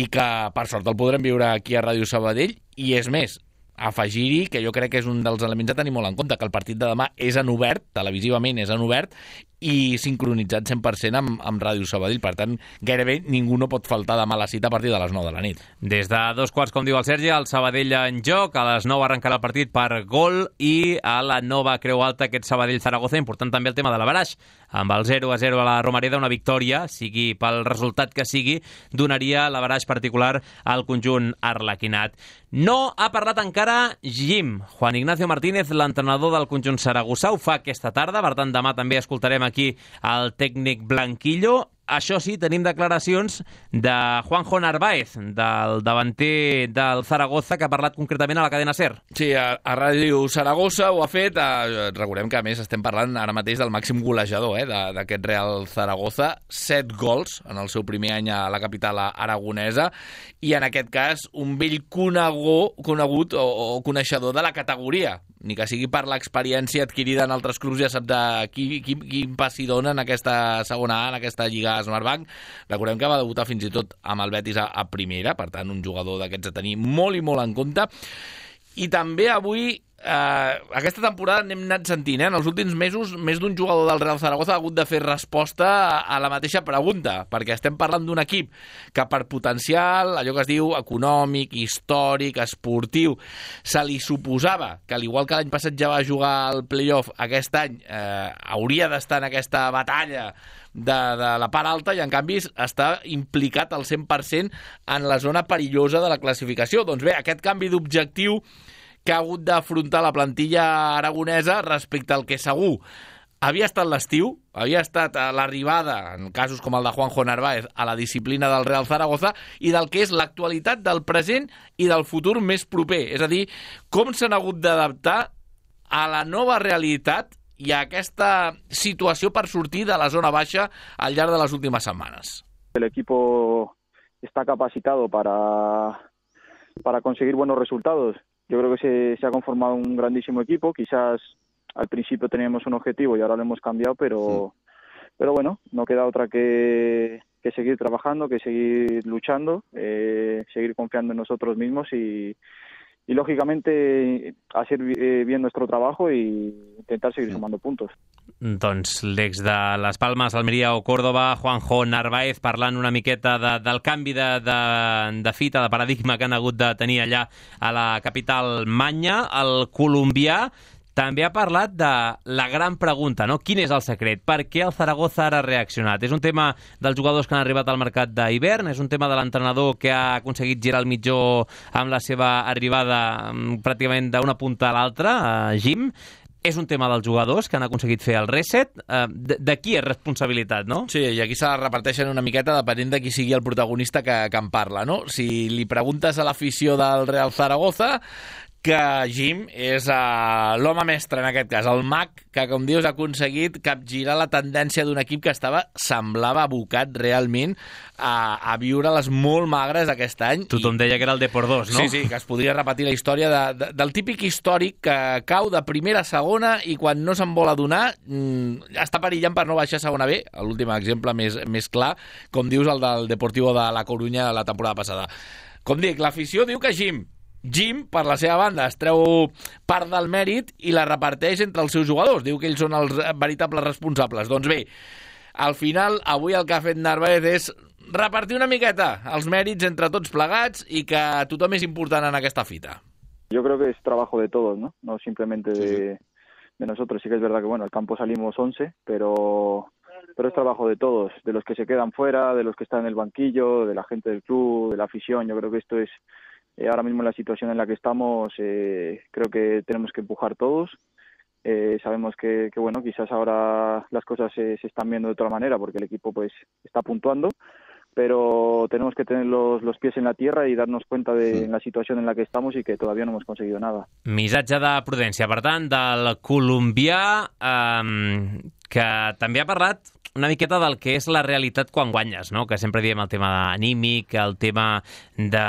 i que per sort el podrem viure aquí a Ràdio Sabadell, i és més, afegir-hi, que jo crec que és un dels elements a tenir molt en compte, que el partit de demà és en obert, televisivament és en obert, i sincronitzat cent per cent amb, amb Ràdio Sabadell. Per tant, gairebé ningú no pot faltar demà a la cita a partir de les nou de la nit. Des de dos quarts, com diu el Sergi, el Sabadell en joc. A les nou arrencarà el partit per gol i a la nova Creu Alta aquest Sabadell-Zaragoza. Important també el tema de l'averaix. Amb el zero a zero a la Romareda, una victòria, sigui pel resultat que sigui, donaria l'averaix particular al conjunt arlequinat. No ha parlat encara Jim. Juan Ignacio Martínez, l'entrenador del conjunt saragossà, ho fa aquesta tarda. Per tant, demà també escoltarem aquí el tècnic Blanquillo. Això sí, tenim declaracions de Juanjo Narváez, del davanter del Zaragoza, que ha parlat concretament a la cadena SER. Sí, a, a Ràdio Saragossa ho ha fet. Eh, recordem que, a més, estem parlant ara mateix del màxim golejador eh, d'aquest Real Zaragoza. Set gols en el seu primer any a la capital aragonesa i, en aquest cas, un vell conegut, conegut o, o coneixedor de la categoria. Ni que sigui per l'experiència adquirida en altres clubs, ja sap de qui, qui, quin passi dona en aquesta segona A, en aquesta Lliga Smartbank. Recordem que va debutar fins i tot amb el Betis a, a primera, per tant, un jugador d'aquests a tenir molt i molt en compte. I també avui, eh, aquesta temporada n'hem anat sentint, eh? En els últims mesos, més d'un jugador del Real Zaragoza ha hagut de fer resposta a, a la mateixa pregunta, perquè estem parlant d'un equip que per potencial, allò que es diu econòmic, històric, esportiu, se li suposava que, al igual que l'any passat ja va jugar al playoff, aquest any eh, hauria d'estar en aquesta batalla de, de la part alta, i en canvi està implicat al cent per cent en la zona perillosa de la classificació. Doncs bé, aquest canvi d'objectiu que ha hagut d'afrontar la plantilla aragonesa respecte al que segur havia estat l'estiu, havia estat l'arribada, en casos com el de Juanjo Narváez, a la disciplina del Real Zaragoza, i del que és l'actualitat del present i del futur més proper. És a dir, com s'han hagut d'adaptar a la nova realitat i a aquesta situació per sortir de la zona baixa al llarg de les últimes setmanes. El equipo está capacitado para, para conseguir buenos resultados. Yo creo que se, se ha conformado un grandísimo equipo. Quizás al principio teníamos un objetivo y ahora lo hemos cambiado, pero, sí. pero bueno, no queda otra que, que seguir trabajando, que seguir luchando, eh, seguir confiando en nosotros mismos y, y lógicamente hacer bien nuestro trabajo y intentar seguir sumando puntos. Doncs l'ex de Les Palmes, Almeria o Córdoba, Juanjo Narváez, parlant una miqueta de, del canvi de, de, de fita, de paradigma que han hagut de tenir allà a la capital manya. El colombià també ha parlat de la gran pregunta, no? Quin és el secret? Per què el Zaragoza ara ha reaccionat? És un tema dels jugadors que han arribat al mercat d'hivern? És un tema de l'entrenador que ha aconseguit girar el mitjó amb la seva arribada pràcticament d'una punta a l'altra, a Jim? És un tema dels jugadors que han aconseguit fer el reset? De, de qui és responsabilitat, no? Sí, i aquí se la reparteixen una miqueta depenent de qui sigui el protagonista que, que en parla, no? Si li preguntes a l'afició del Real Zaragoza, que Jim és uh, l'home mestre en aquest cas, el mag que, com dius, ha aconseguit capgirar la tendència d'un equip que estava, semblava abocat realment a, a viure les molt magres aquest any. Tothom I... deia que era el D por dos, no? Sí, sí, que es podria repetir la història de, de, del típic històric que cau de primera a segona i quan no se'n vol adonar mmm, està perillant per no baixar a segona B. L'últim exemple més, més clar, com dius, el del Deportivo de la Corunya la temporada passada. Com dic, l'afició diu que Jim Jim, per la seva banda, es treu part del mèrit i la reparteix entre els seus jugadors. Diu que ells són els veritables responsables. Doncs bé, al final, avui el que ha fet Narváez és repartir una miqueta els mèrits entre tots plegats i que tothom és important en aquesta fita. Yo creo que es trabajo de todos, ¿no? No simplemente de, de nosotros. Sí que es verdad que, bueno, al campo salimos once, pero... pero es trabajo de todos, de los que se quedan fuera, de los que están en el banquillo, de la gente del club, de la afición. Yo creo que esto es... Eh, ahora mismo en la situación en la que estamos, eh, creo que tenemos que empujar todos. Eh, sabemos que, que, bueno, quizás ahora las cosas se, se están viendo de otra manera porque el equipo pues está puntuando, pero tenemos que tener los, los pies en la tierra y darnos cuenta de sí. la situación en la que estamos y que todavía no hemos conseguido nada. Missatge de prudència, per tant, del colombià, eh, que també ha parlat una miqueta del que és la realitat quan guanyes, no? Que sempre diem el tema anímic, el tema de,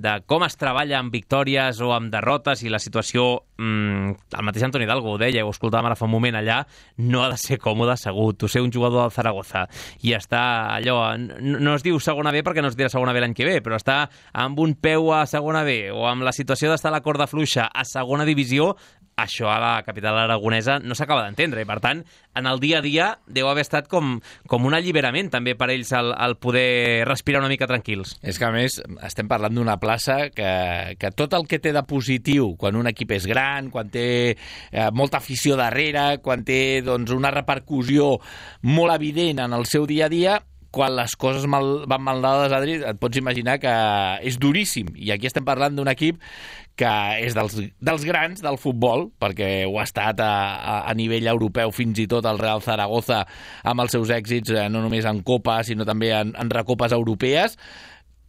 de com es treballa amb victòries o amb derrotes i la situació, mmm, el mateix Antoni Hidalgo ho deia, ho escoltàvem ara fa un moment allà, no ha de ser còmode assegut, tu ser un jugador del Zaragoza i està allò, no, no es diu segona B perquè no es dirà segona B l'any que ve, però està amb un peu a segona B o amb la situació d'estar a la corda fluixa a segona divisió, això a la capital aragonesa no s'acaba d'entendre i, per tant, en el dia a dia deu haver estat com, com un alliberament també per ells el, el poder respirar una mica tranquils. És que, a més, estem parlant d'una plaça que, que tot el que té de positiu quan un equip és gran, quan té eh, molta afició darrere, quan té doncs, una repercussió molt evident en el seu dia a dia, quan les coses mal, van mal dades, Adri, et pots imaginar que és duríssim. I aquí estem parlant d'un equip que és dels, dels grans del futbol, perquè ho ha estat a, a, a nivell europeu, fins i tot el Real Zaragoza, amb els seus èxits, eh, no només en Copa, sinó també en, en recopes europees,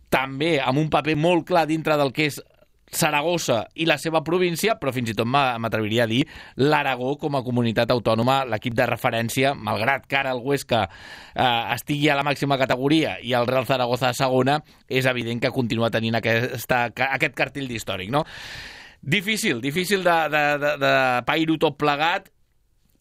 també amb un paper molt clar dintre del que és Saragossa i la seva província, però fins i tot m'atreviria a dir l'Aragó com a comunitat autònoma, l'equip de referència, malgrat que ara el Huesca eh, estigui a la màxima categoria i el Real Zaragoza a segona, és evident que continua tenint aquesta, aquest cartell d'històric, no? Difícil, difícil de, de, de, de pair-ho tot plegat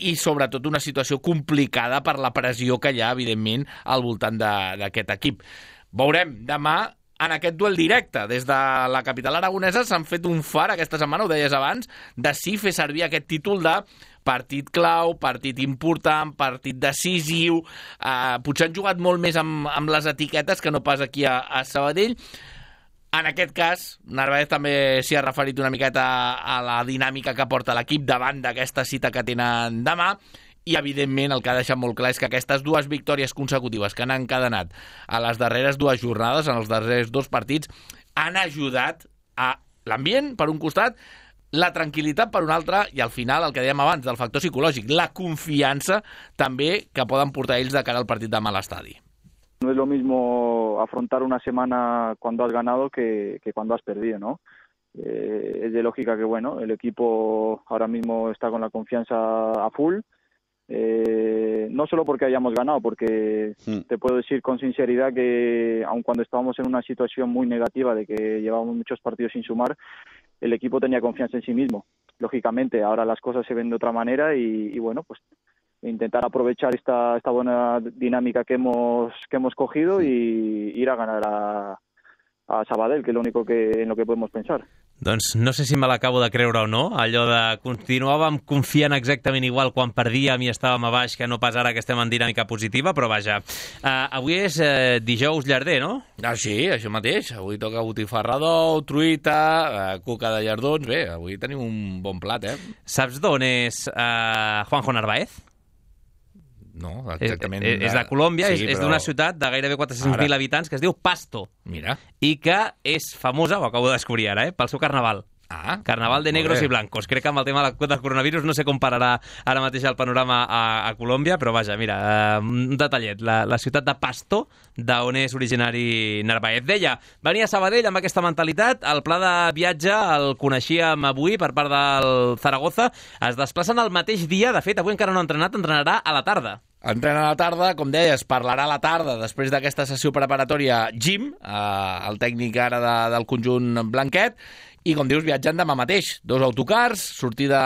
i sobretot una situació complicada per la pressió que hi ha, evidentment, al voltant d'aquest equip. Veurem demà en aquest duel directe. Des de la capital aragonesa s'han fet un far aquesta setmana, ho deies abans, de sí fer servir aquest títol de partit clau, partit important, partit decisiu. Eh, potser han jugat molt més amb, amb les etiquetes que no pas aquí a, a Sabadell. En aquest cas, Narváez també s'hi ha referit una miqueta a la dinàmica que porta l'equip davant d'aquesta cita que tenen demà. I, evidentment, el que ha deixat molt clar és que aquestes dues victòries consecutives que han encadenat a les darreres dues jornades, en els darrers dos partits, han ajudat a l'ambient, per un costat, la tranquil·litat per un altre, i al final, el que dèiem abans, del factor psicològic, la confiança també que poden portar ells de cara al partit demà a l'estadi. No es lo mismo afrontar una semana cuando has ganado que, que cuando has perdido, ¿no? Eh, es de lógica que, bueno, el equipo ahora mismo está con la confianza a full. Eh, no solo porque hayamos ganado, porque sí. Te puedo decir con sinceridad que aun cuando estábamos en una situación muy negativa de que llevábamos muchos partidos sin sumar, el equipo tenía confianza en sí mismo. Lógicamente, ahora las cosas se ven de otra manera y, y bueno, pues intentar aprovechar esta, esta buena dinámica que hemos, que hemos cogido y ir a ganar a, a Sabadell, que es lo único que, en lo que podemos pensar. Doncs no sé si me l'acabo de creure o no, allò de continuàvem confiant exactament igual quan perdíem i estàvem a baix que no pas ara que estem en dinàmica positiva, però vaja. Uh, avui és uh, dijous llarder, no? Ah, sí, això mateix. Avui toca botifarrador, truita, uh, cuca de llardons. Bé, avui tenim un bon plat, eh? Saps d'on és uh, Juanjo Narváez? No, exactament. És, és de Colòmbia, sí, és, és d'una ciutat de gairebé quatre-cents mil habitants que es diu Pasto. Mira. I que és famosa, ho acabo de descobrir ara, eh, pel seu carnaval. Ah, Carnaval de negros i blancos. Crec que amb el tema del coronavirus no sé com pararà ara mateix el panorama a, a Colòmbia, però vaja, mira, uh, un detallet. La, la ciutat de Pasto, d'on és originari Narváez. Deia, venia a Sabadell amb aquesta mentalitat, el pla de viatge el coneixíem avui per part del Zaragoza, es desplacen el mateix dia, de fet, avui encara no ha entrenat, entrenarà a la tarda. Entrena a la tarda, com deies, parlarà a la tarda després d'aquesta sessió preparatòria Jim, eh, el tècnic ara de, del conjunt blanquet, i, com dius, viatjant demà mateix. Dos autocars, sortida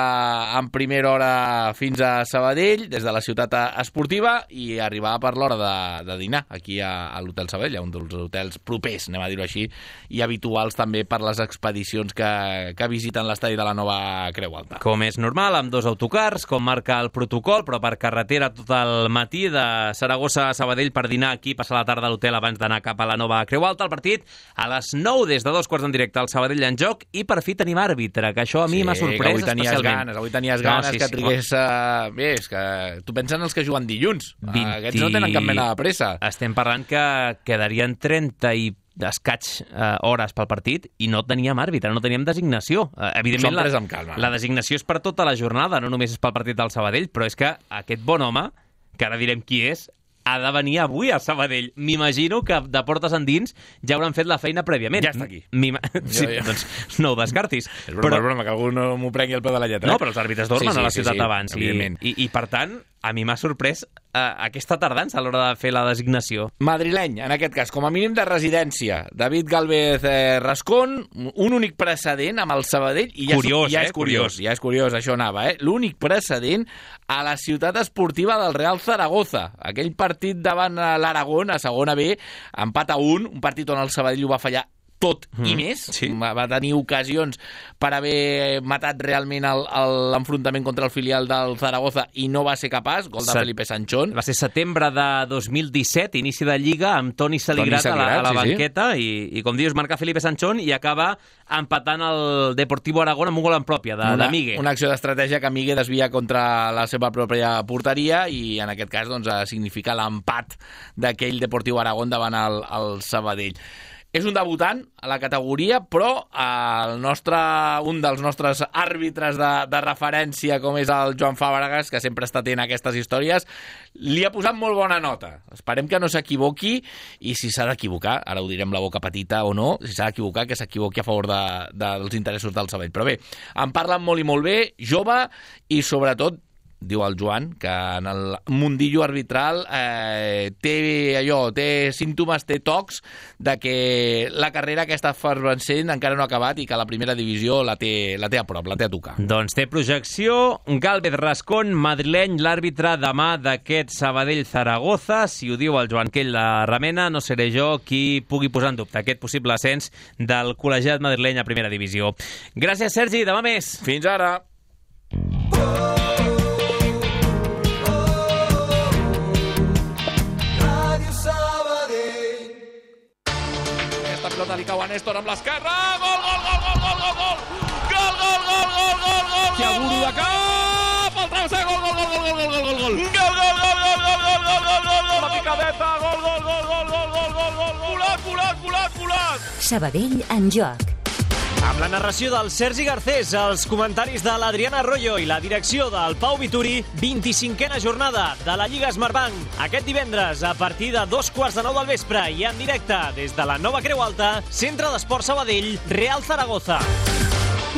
en primera hora fins a Sabadell, des de la ciutat esportiva, i arribar per l'hora de, de dinar aquí a, a l'Hotel Sabadell, un dels hotels propers, anem a dir-ho així, i habituals també per les expedicions que, que visiten l'estadi de la nova Creu Alta. Com és normal, amb dos autocars, com marca el protocol, però per carretera tot el matí de Saragossa a Sabadell per dinar aquí, passar la tarda a l'hotel abans d'anar cap a la nova Creu Alta. El partit a les nou, des de dos quarts en directe, al Sabadell en joc, i per fi tenim àrbitre, que això a mi sí, m'ha sorprès avui tenies especialment. Ganes, avui tenies ganes no, sí, que sí, trigués... Uh, bé, és que tu penses en els que juguen dilluns. vint... Uh, aquests no tenen cap mena de pressa. Estem parlant que quedarien trenta i escaig uh, hores pel partit i no teníem àrbitre, no teníem designació. Uh, evidentment, la, amb calma. la designació és per tota la jornada, no només és pel partit del Sabadell, però és que aquest bon home, que ara direm qui és, ha de venir avui a Sabadell. M'imagino que de portes endins ja hauran fet la feina prèviament. Ja està aquí. Sí, jo, jo. Doncs no ho descartis. És broma, però... és broma, que algú no m'ho prengui el peu de la lletra. No, però els àrbitres dormen sí, sí, a la ciutat sí, sí, abans. I, i, I per tant, a mi m'ha sorprès eh, aquesta tardança a l'hora de fer la designació. Madrileny, en aquest cas, com a mínim de residència. David Gálvez eh, Rascón, un únic precedent amb el Sabadell. I ja, Curiós, ja eh? és curiós, Curiós. ja és curiós, això anava, eh? L'únic precedent a la ciutat esportiva del Real Zaragoza. Aquell partit davant l'Aragón, a segona B, empat a un, un partit on el Sabadell ho va fallar tot mm, i més. Sí. Va, va tenir ocasions per haver matat realment el- el- l'enfrontament contra el filial del Zaragoza i no va ser capaç, gol de Set- Felipe Sanchón. Va ser setembre de dos mil disset, inici de Lliga, amb Toni Saligrat, Toni Saligrat, a la, a la sí, sí. banqueta, i, i com dius, marca Felipe Sanchón i acaba empatant el Deportivo Aragón amb un gol en pròpia, de, una, de Migue. una acció d'estratègia que Migue desvia contra la seva pròpia porteria i en aquest cas doncs, significa l'empat d'aquell Deportiu Aragón davant el, el Sabadell. És un debutant a la categoria, però el nostre, un dels nostres àrbitres de, de referència, com és el Joan Fàbregas, que sempre està atent a aquestes històries, li ha posat molt bona nota. Esperem que no s'equivoqui i si s'ha d'equivocar, ara ho direm la boca petita o no, si s'ha d'equivocar, que s'equivoqui a favor de, dels interessos del Sabadell. Però bé, en parlen molt i molt bé, jove i sobretot diu el Joan, que en el mundillo arbitral eh, té allò, té símptomes, té tocs de que la carrera que està fervent encara no ha acabat i que la primera divisió la té, la té a prop, la té a tocar. Doncs té projecció. Gálvez Rascón, madrileny, l'àrbitre demà d'aquest Sabadell-Zaragoza. Si ho diu el Joan Quell la remena, no seré jo qui pugui posar en dubte aquest possible ascens del col·legiat madrileny a primera divisió. Gràcies, Sergi. Demà més. Fins ara. Aquesta pilota li cau a Néstor amb l'esquerra. Gol, gol, gol, gol, gol, gol, gol. Gol, gol, gol, gol, gol, gol. Tiaguro de cap. El travesser, gol, gol, gol, gol, gol, gol, gol, gol. Gol, gol, gol, gol, gol, gol, gol, gol, gol, gol. La picadeta, gol, gol, gol, gol, gol, gol, gol, gol. Volat, volat, volat, volat. Sabadell en joc. Amb la narració del Sergi Garcés, els comentaris de l'Adriana Arroyo i la direcció del Pau Vituri, vint-i-cinquena jornada de la Lliga Smartbank. Aquest divendres, a partir de dos quarts de nou del vespre i en directe des de la Nova Creu Alta, Centre d'Esport Sabadell, Real Zaragoza.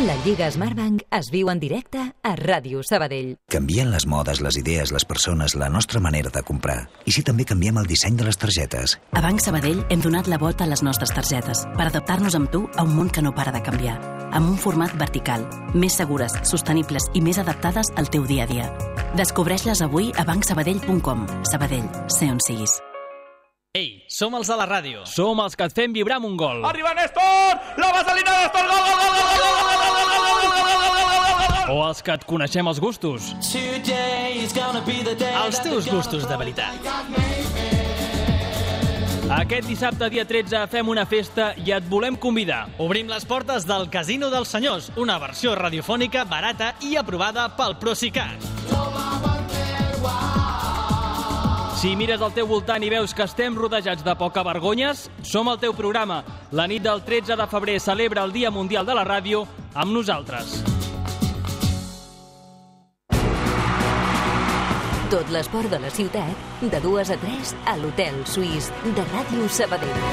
La Lliga Smartbank es viu en directe a Ràdio Sabadell. Canvien les modes, les idees, les persones, la nostra manera de comprar. I si també canviem el disseny de les targetes? A Banc Sabadell hem donat la volta a les nostres targetes per adaptar-nos amb tu a un món que no para de canviar. Amb un format vertical, més segures, sostenibles i més adaptades al teu dia a dia. Descobreix-les avui a banc sabadell punt com. Sabadell, sé on siguis. Ei, som els de la ràdio. Som els que et fem vibrar amb un gol. Arriba Néstor! La vaselina de Néstor! Gol, gol, gol, gol, gol, gol, gol, gol, gol, gol, gol, gol, gol. O els que et coneixem els gustos. Els teus gustos de veritat. Aquest dissabte, dia tretze, fem una festa i et volem convidar. Obrim les portes del Casino dels Senyors, una versió radiofònica barata i aprovada pel Procicat. Si mires al teu voltant i veus que estem rodejats de poca vergonyes, som el teu programa. La nit del tretze de febrer celebra el Dia Mundial de la Ràdio amb nosaltres. Tot l'esport de la ciutat, de dues a tres, a l'Hotel Suís de Ràdio Sabadell.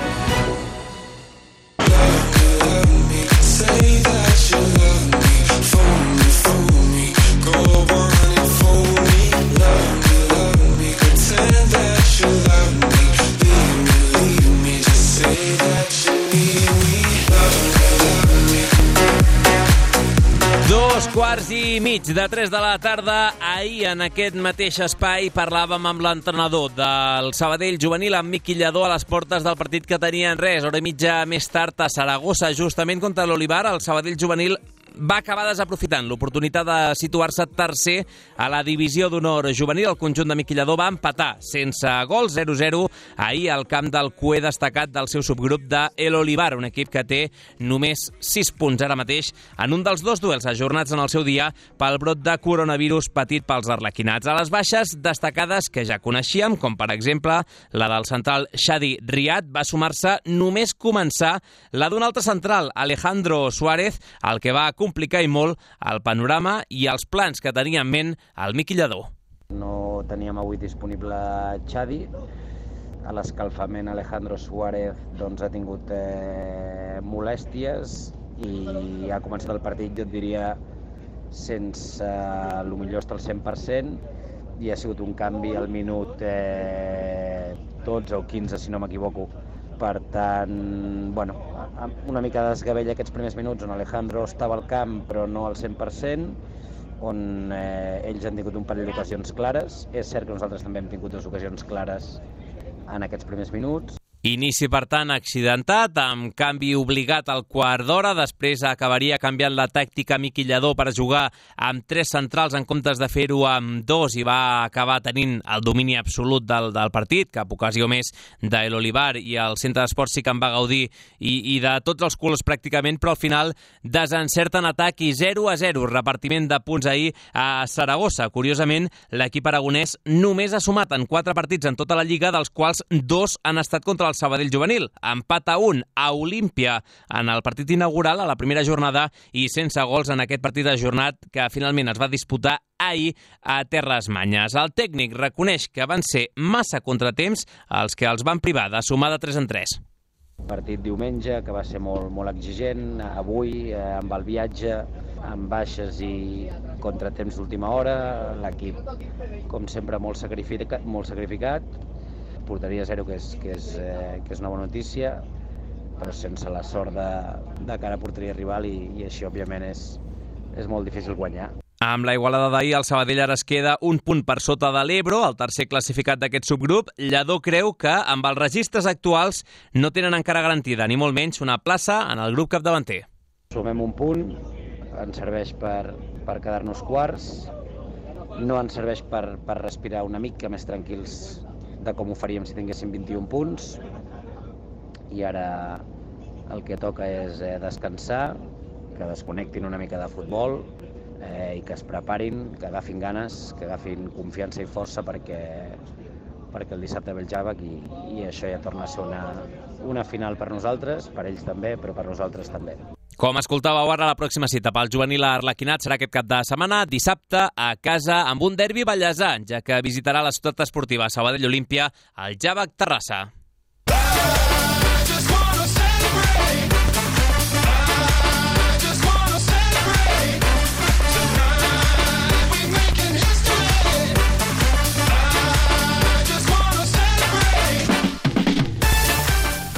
Dos quarts i mig de tres de la tarda. Ahir, en aquest mateix espai, parlàvem amb l'entrenador del Sabadell juvenil, amb Miqui Lladó, a les portes del partit que tenien res. Hora i mitja més tard a Saragossa, justament contra l'Olivar. El Sabadell juvenil va acabar desaprofitant l'oportunitat de situar-se tercer a la divisió d'honor juvenil. El conjunt de Miqui Lladó va empatar sense gol, zero zero, ahir al camp del cué destacat del seu subgrup de El Olivar, un equip que té només sis punts ara mateix en un dels dos duels ajornats en el seu dia pel brot de coronavirus patit pels arlequinats. A les baixes destacades que ja coneixíem, com per exemple la del central Shadi Riad, va sumar-se només començar la d'un altre central, Alejandro Suárez, el que va complicar i molt el panorama i els plans que tenia en ment el Miqui Lladó. No teníem avui disponible Xadi. A l'escalfament Alejandro Suárez doncs, ha tingut eh, molèsties i ha començat el partit, jo et diria, sense eh, el millor estar al cent per cent i ha sigut un canvi al minut eh, dotze o quinze, si no m'equivoco. Per tant, bueno, una mica de desgavell aquests primers minuts on Alejandro estava al camp però no al cent per cent, on eh, ells han tingut un parell d'ocasions clares. És cert que nosaltres també hem tingut dues ocasions clares en aquests primers minuts. Inici, per tant, accidentat, amb canvi obligat al quart d'hora. Després acabaria canviant la tàctica Miqui Lladó per jugar amb tres centrals en comptes de fer-ho amb dos i va acabar tenint el domini absolut del, del partit, cap ocasió més d'El Olivar, i el centre d'esports sí que en va gaudir i, i de tots els colors pràcticament, però al final desencerten atac i zero a zero. Repartiment de punts ahir a Saragossa. Curiosament, l'equip aragonès només ha sumat en quatre partits en tota la Lliga, dels quals dos han estat contra el Sabadell juvenil. Empat a un a Olímpia en el partit inaugural a la primera jornada i sense gols en aquest partit ajornat que finalment es va disputar ahir a Terres Manyes. El tècnic reconeix que van ser massa contratemps els que els van privar de sumar de tres en tres. Partit diumenge que va ser molt, molt exigent, avui eh, amb el viatge, amb baixes i contratemps d'última hora, l'equip com sempre molt sacrificat, molt sacrificat. Porteria zero, que és, que, és, eh, que és una bona notícia, però sense la sort de, de cara a porteria rival i, i així, òbviament, és, és molt difícil guanyar. Amb la igualada d'ahir, el Sabadell ara es queda un punt per sota de l'Ebro, el tercer classificat d'aquest subgrup. Lladó creu que, amb els registres actuals, no tenen encara garantida, ni molt menys, una plaça en el grup capdavanter. Sumem un punt, ens serveix per, per quedar-nos quarts, no ens serveix per, per respirar una mica més tranquils de com ho faríem si tinguéssim vint-i-un punts, i ara el que toca és eh, descansar, que desconnectin una mica de futbol eh, i que es preparin, que agafin ganes, que agafin confiança i força perquè, perquè el dissabte ve el Jàvec i, i això ja torna a ser una, una final per nosaltres, per ells també, però per nosaltres també. Com escoltàveu ara, la pròxima cita pel juvenil arlequinat serà aquest cap de setmana, dissabte, a casa, amb un derbi ballesà, ja que visitarà la ciutat esportiva Sabadell Olímpia, al Jàvec Terrassa.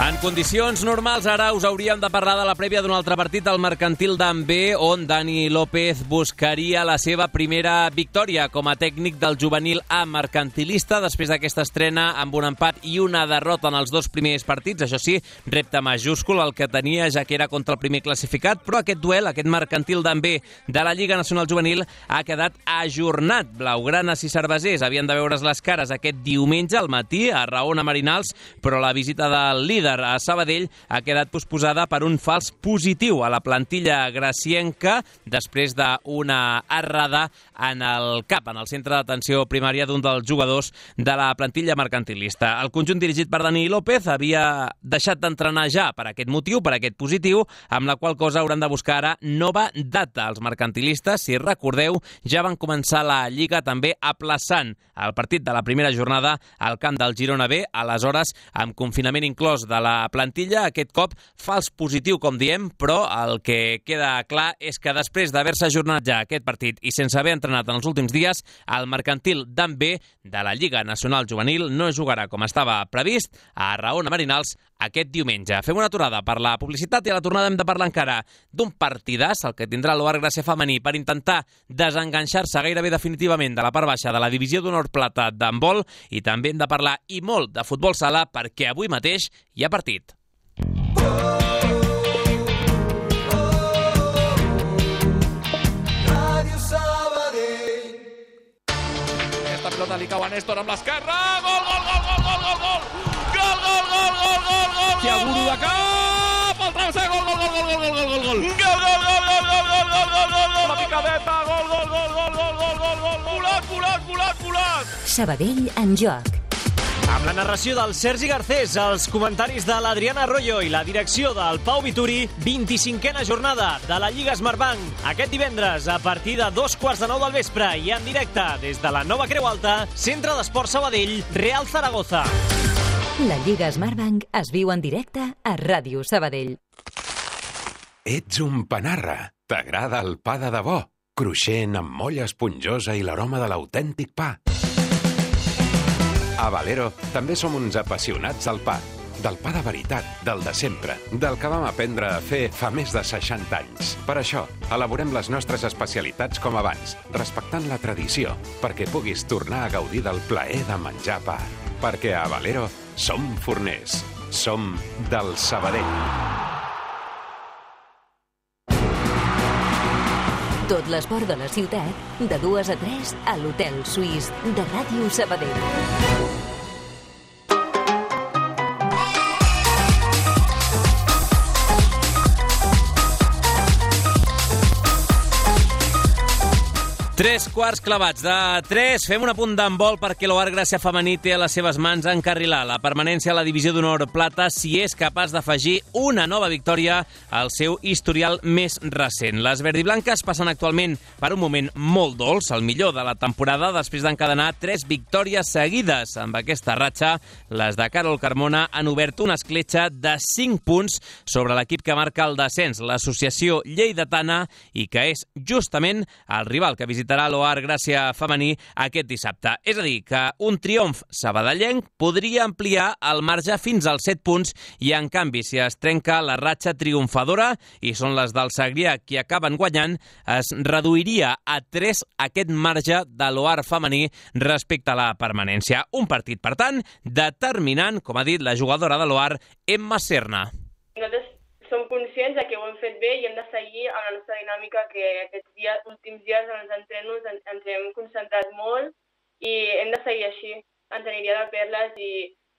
En condicions normals, ara us hauríem de parlar de la prèvia d'un altre partit, el Mercantil d'Ambé, on Dani López buscaria la seva primera victòria com a tècnic del juvenil A mercantilista, després d'aquesta estrena amb un empat i una derrota en els dos primers partits. Això sí, repte majúscul el que tenia, ja que era contra el primer classificat, però aquest duel, aquest Mercantil d'Ambé de la Lliga Nacional Juvenil, ha quedat ajornat. Blaugranes i cervesers havien de veure's les cares aquest diumenge al matí a Raona Marinals, però la visita del líder a Sabadell ha quedat posposada per un fals positiu a la plantilla gracienca després d'una errada en el cap, en el centre d'atenció primària d'un dels jugadors de la plantilla mercantilista. El conjunt dirigit per Dani López havia deixat d'entrenar ja per aquest motiu, per aquest positiu, amb la qual cosa hauran de buscar ara nova data. Els mercantilistes, si recordeu, ja van començar la Lliga també aplaçant el partit de la primera jornada al camp del Girona B, aleshores amb confinament inclòs de la plantilla. Aquest cop fals positiu, com diem, però el que queda clar és que després d'haver-se ajornat ja aquest partit i sense haver entrenat en els últims dies, el Mercantil d'Ambé de la Lliga Nacional Juvenil no jugarà com estava previst a Raona Marinals aquest diumenge. Fem una aturada per la publicitat i a la tornada hem de parlar encara d'un partidàs, el que tindrà l'O Ar Gràcia femení per intentar desenganxar-se gairebé definitivament de la part baixa de la divisió d'honor plata d'handbol, i també hem de parlar i molt de futbol sala perquè avui mateix hi ha partit. Aquesta pelota li cau a Néstor amb l'esquerra. Gol, gol, gol, gol, gol, gol, gol. Gol, gol, gol, gol, gol, gol. Tiaguro de cap. El travesser, gol, gol, gol, gol, gol, gol, gol, gol. Gol, gol, gol, gol, gol, gol, gol, gol, gol, gol. La picadeta, gol, gol, gol, gol, gol, gol, gol, gol. Volat, volat, volat, volat. Sabadell en joc. Amb la narració del Sergi Garcés, els comentaris de l'Adriana Arroyo i la direcció del Pau Vituri, vint-i-cinquena jornada de la Lliga Smartbank. Aquest divendres, a partir de dos quarts de nou del vespre i en directe des de la Nova Creu Alta, Centre d'Esport Sabadell, Real Zaragoza. La Lliga Smartbank es viu en directe a Ràdio Sabadell. Ets un panarra. T'agrada el pa de debò? Cruixent, amb molla esponjosa i l'aroma de l'autèntic pa. A Valero també som uns apassionats al pa. Del pa de veritat, del de sempre, del que vam aprendre a fer fa més de seixanta anys. Per això, elaborem les nostres especialitats com abans, respectant la tradició, perquè puguis tornar a gaudir del plaer de menjar pa. Perquè a Valero som forners, som del Sabadell. Tot l'esport de la ciutat, de dues a tres, a l'Hotel Suís de Ràdio Sabadell. Tres quarts clavats de tres. Fem un apunt d'handbol perquè l'Oar Gràcia femení té a les seves mans encarrilar la permanència a la divisió d'honor plata si és capaç d'afegir una nova victòria al seu historial més recent. Les verdiblanques passen actualment per un moment molt dolç, el millor de la temporada, després d'encadenar tres victòries seguides. Amb aquesta ratxa, les de Carol Carmona han obert una escletxa de cinc punts sobre l'equip que marca el descens, l'associació lleidatana, i que és justament el rival que visita l'Oar Gràcia femení aquest dissabte. És a dir, que un triomf sabadellenc podria ampliar el marge fins als set punts i, en canvi, si es trenca la ratxa triomfadora, i són les del Segrià qui acaben guanyant, es reduiria a tres aquest marge de l'Oar femení respecte a la permanència. Un partit, per tant, determinant, com ha dit la jugadora de l'Oar, Emma Serna. Nosaltres som conscients de que ho hem fet bé i hem de seguir amb la nostra dinàmica, que aquests dies, últims dies en els entrenos ens, ens hem concentrat molt i hem de seguir així. Ens aniria de perles i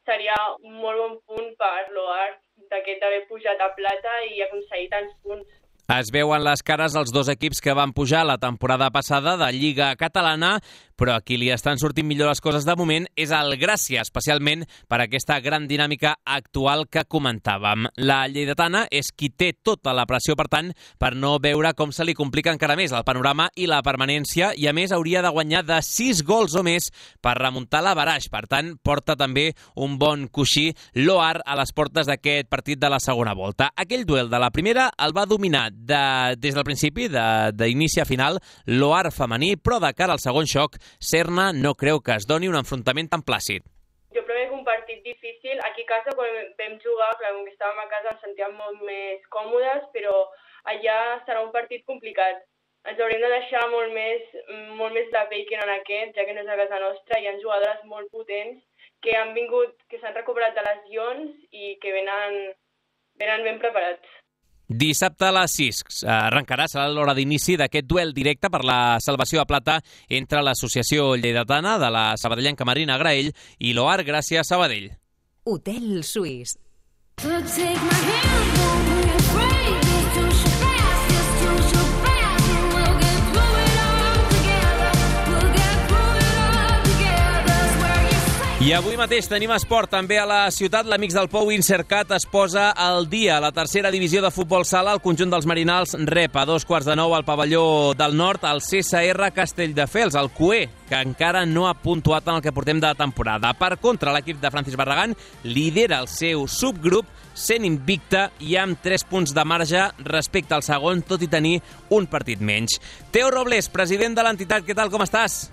seria un molt bon punt per l'Oar d'aquest d'haver pujat a plata i aconseguir tants punts. Es veuen les cares els dos equips que van pujar la temporada passada de Lliga Catalana, però a qui li estan sortint millor les coses de moment és el Gràcia, especialment per aquesta gran dinàmica actual que comentàvem. La lleidatana és qui té tota la pressió, per tant, per no veure com se li complica encara més el panorama i la permanència, i a més hauria de guanyar de sis gols o més per remuntar la baraix. Per tant, porta també un bon coixí l'Oar a les portes d'aquest partit de la segona volta. Aquell duel de la primera el va dominar de, des del principi, d'inici a final, l'Oar femení, però de cara al segon xoc, Serna no creu que es doni un enfrontament tan plàcid. Jo crec que un partit difícil. Aquí a casa, quan vam jugar, clar, com que estàvem a casa, ens sentíem molt més còmodes, però allà serà un partit complicat. Ens hauríem de deixar molt més, molt més de bacon en aquest, ja que no és a casa nostra. Hi ha jugadores molt potents que han vingut, que s'han recuperat de lesions i que venen, venen ben preparats. Dissabte a les sis arrencarà, serà l'hora d'inici d'aquest duel directe per la salvació a plata entre l'associació lleidatana de la sabadellenca Marina Graell i l'Oar Gràcia Sabadell. Hotel Suís. I avui mateix tenim esport també a la ciutat. L'Amics del Pou Insercat es posa al dia. La tercera divisió de futbol sala, el conjunt dels Marinals rep a dos quarts de nou al pavelló del nord el C S R Castelldefels, el C U E, que encara no ha puntuat en el que portem de temporada. Per contra, l'equip de Francis Barragán lidera el seu subgrup sent invicta i amb tres punts de marge respecte al segon, tot i tenir un partit menys. Teo Robles, president de l'entitat, què tal, com estàs?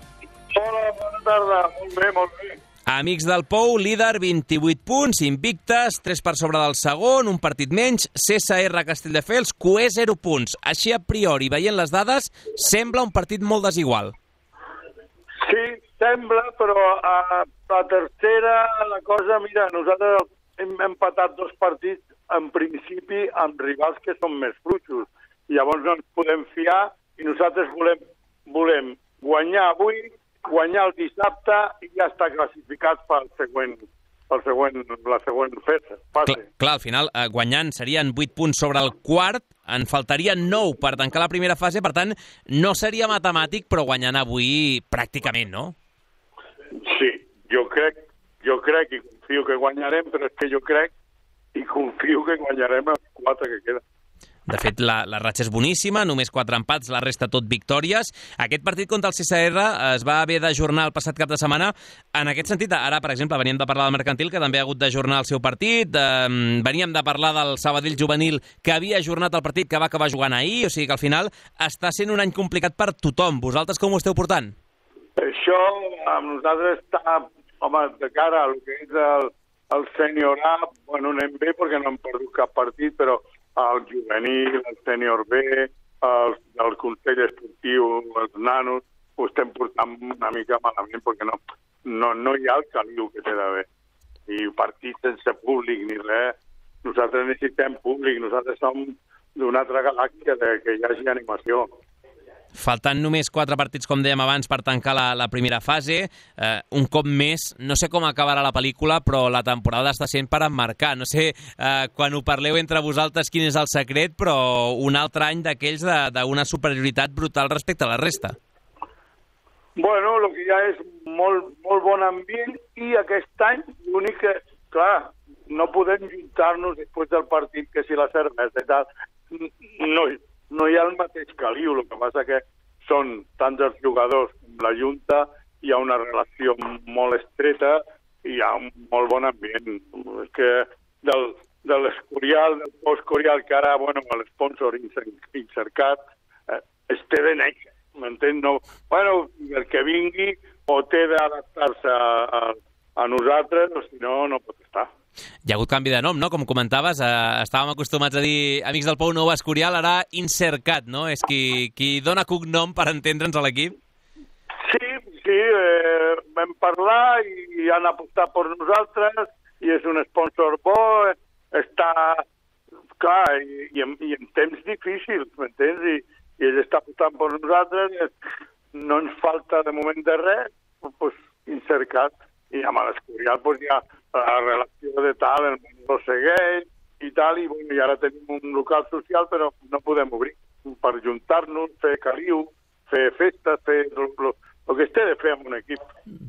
Hola, bona tarda, molt bé, molt bé. Amics del Pou, líder, vint-i-vuit punts, invictes, tres per sobre del segon, un partit menys, C S R Castelldefels, C U E, zero punts. Així, a priori, veient les dades, sembla un partit molt desigual. Sí, sembla, però a la tercera, la cosa, mira, nosaltres hem empatat dos partits, en principi, amb rivals que són més fluixos. Llavors no ens podem fiar i nosaltres volem, volem guanyar avui, guanyar el dissabte i ja està classificat pel següent, pel següent, la següent fase. Clar, clar, al final, eh, guanyant serien vuit punts sobre el quart, en faltarien nou per tancar la primera fase, per tant, no seria matemàtic, però guanyant avui pràcticament, no? Sí, jo crec, jo crec i confio que guanyarem, però és que jo crec i confio que guanyarem els quatre que queden. De fet, la, la ratxa és boníssima, només quatre empats, la resta tot victòries. Aquest partit contra el C S R es va haver d'ajornar el passat cap de setmana. En aquest sentit, ara, per exemple, veníem de parlar del Mercantil, que també ha hagut d'ajornar el seu partit. Eh, veníem de parlar del Sabadell Juvenil, que havia ajornat el partit que va acabar jugant ahir. O sigui que al final està sent un any complicat per tothom. Vosaltres com ho esteu portant? Això amb nosaltres està, home, de cara a el que és el, el sènior A, bueno, anem bé perquè no hem perdut cap partit, però el juvenil, el sènior B, el, el Consell Esportiu, els nanos, ho estem portant una mica malament perquè no, no, no hi ha el caliu que té d'haver. I partits sense públic ni res. Nosaltres necessitem públic, nosaltres som d'una altra galàxia de que hi hagi animació. Faltant només quatre partits, com dèiem abans, per tancar la, la primera fase. Eh, un cop més, no sé com acabarà la pel·lícula, però la temporada està sent per emmarcar. No sé, eh, quan ho parleu entre vosaltres, quin és el secret, però un altre any d'aquells d'una superioritat brutal respecte a la resta. Bueno, el que hi ha és molt, molt bon ambient i aquest any l'únic que, clar, no podem juntar-nos després del partit que si la cervesa i tal, no, no hi ha el mateix caliu, el que passa que són tants els jugadors com la Junta, hi ha una relació molt estreta i hi ha un molt bon ambient. És que del, de l'Escorial, del post-Corial, que ara, bueno, l'esponsor Incercat, eh, es té de néixer, m'entens? No, bueno, el que vingui o té d'adaptar-se a, a, a nosaltres o si no, no pot estar. Hi ha hagut canvi de nom, no? Com comentaves, eh, estàvem acostumats a dir Amics del Pou Nou Escorial, ara Incercat, no? És qui, qui dona cognom per entendre'ns a l'equip. Sí, sí, eh, vam parlar i, i han apostat per nosaltres i és un sponsor bo, està, clar, i, i, en, i en temps difícils, m'entens? I, i ell està apostant per nosaltres, no ens falta de moment de res, doncs Incercat, i amb l'Escorial doncs hi ha la relació de tal, el món segueix i tal, i, bueno, i ara tenim un local social, però no podem obrir per juntar-nos, fer caliu, fer festes, fer el, el que es té de fer amb un equip.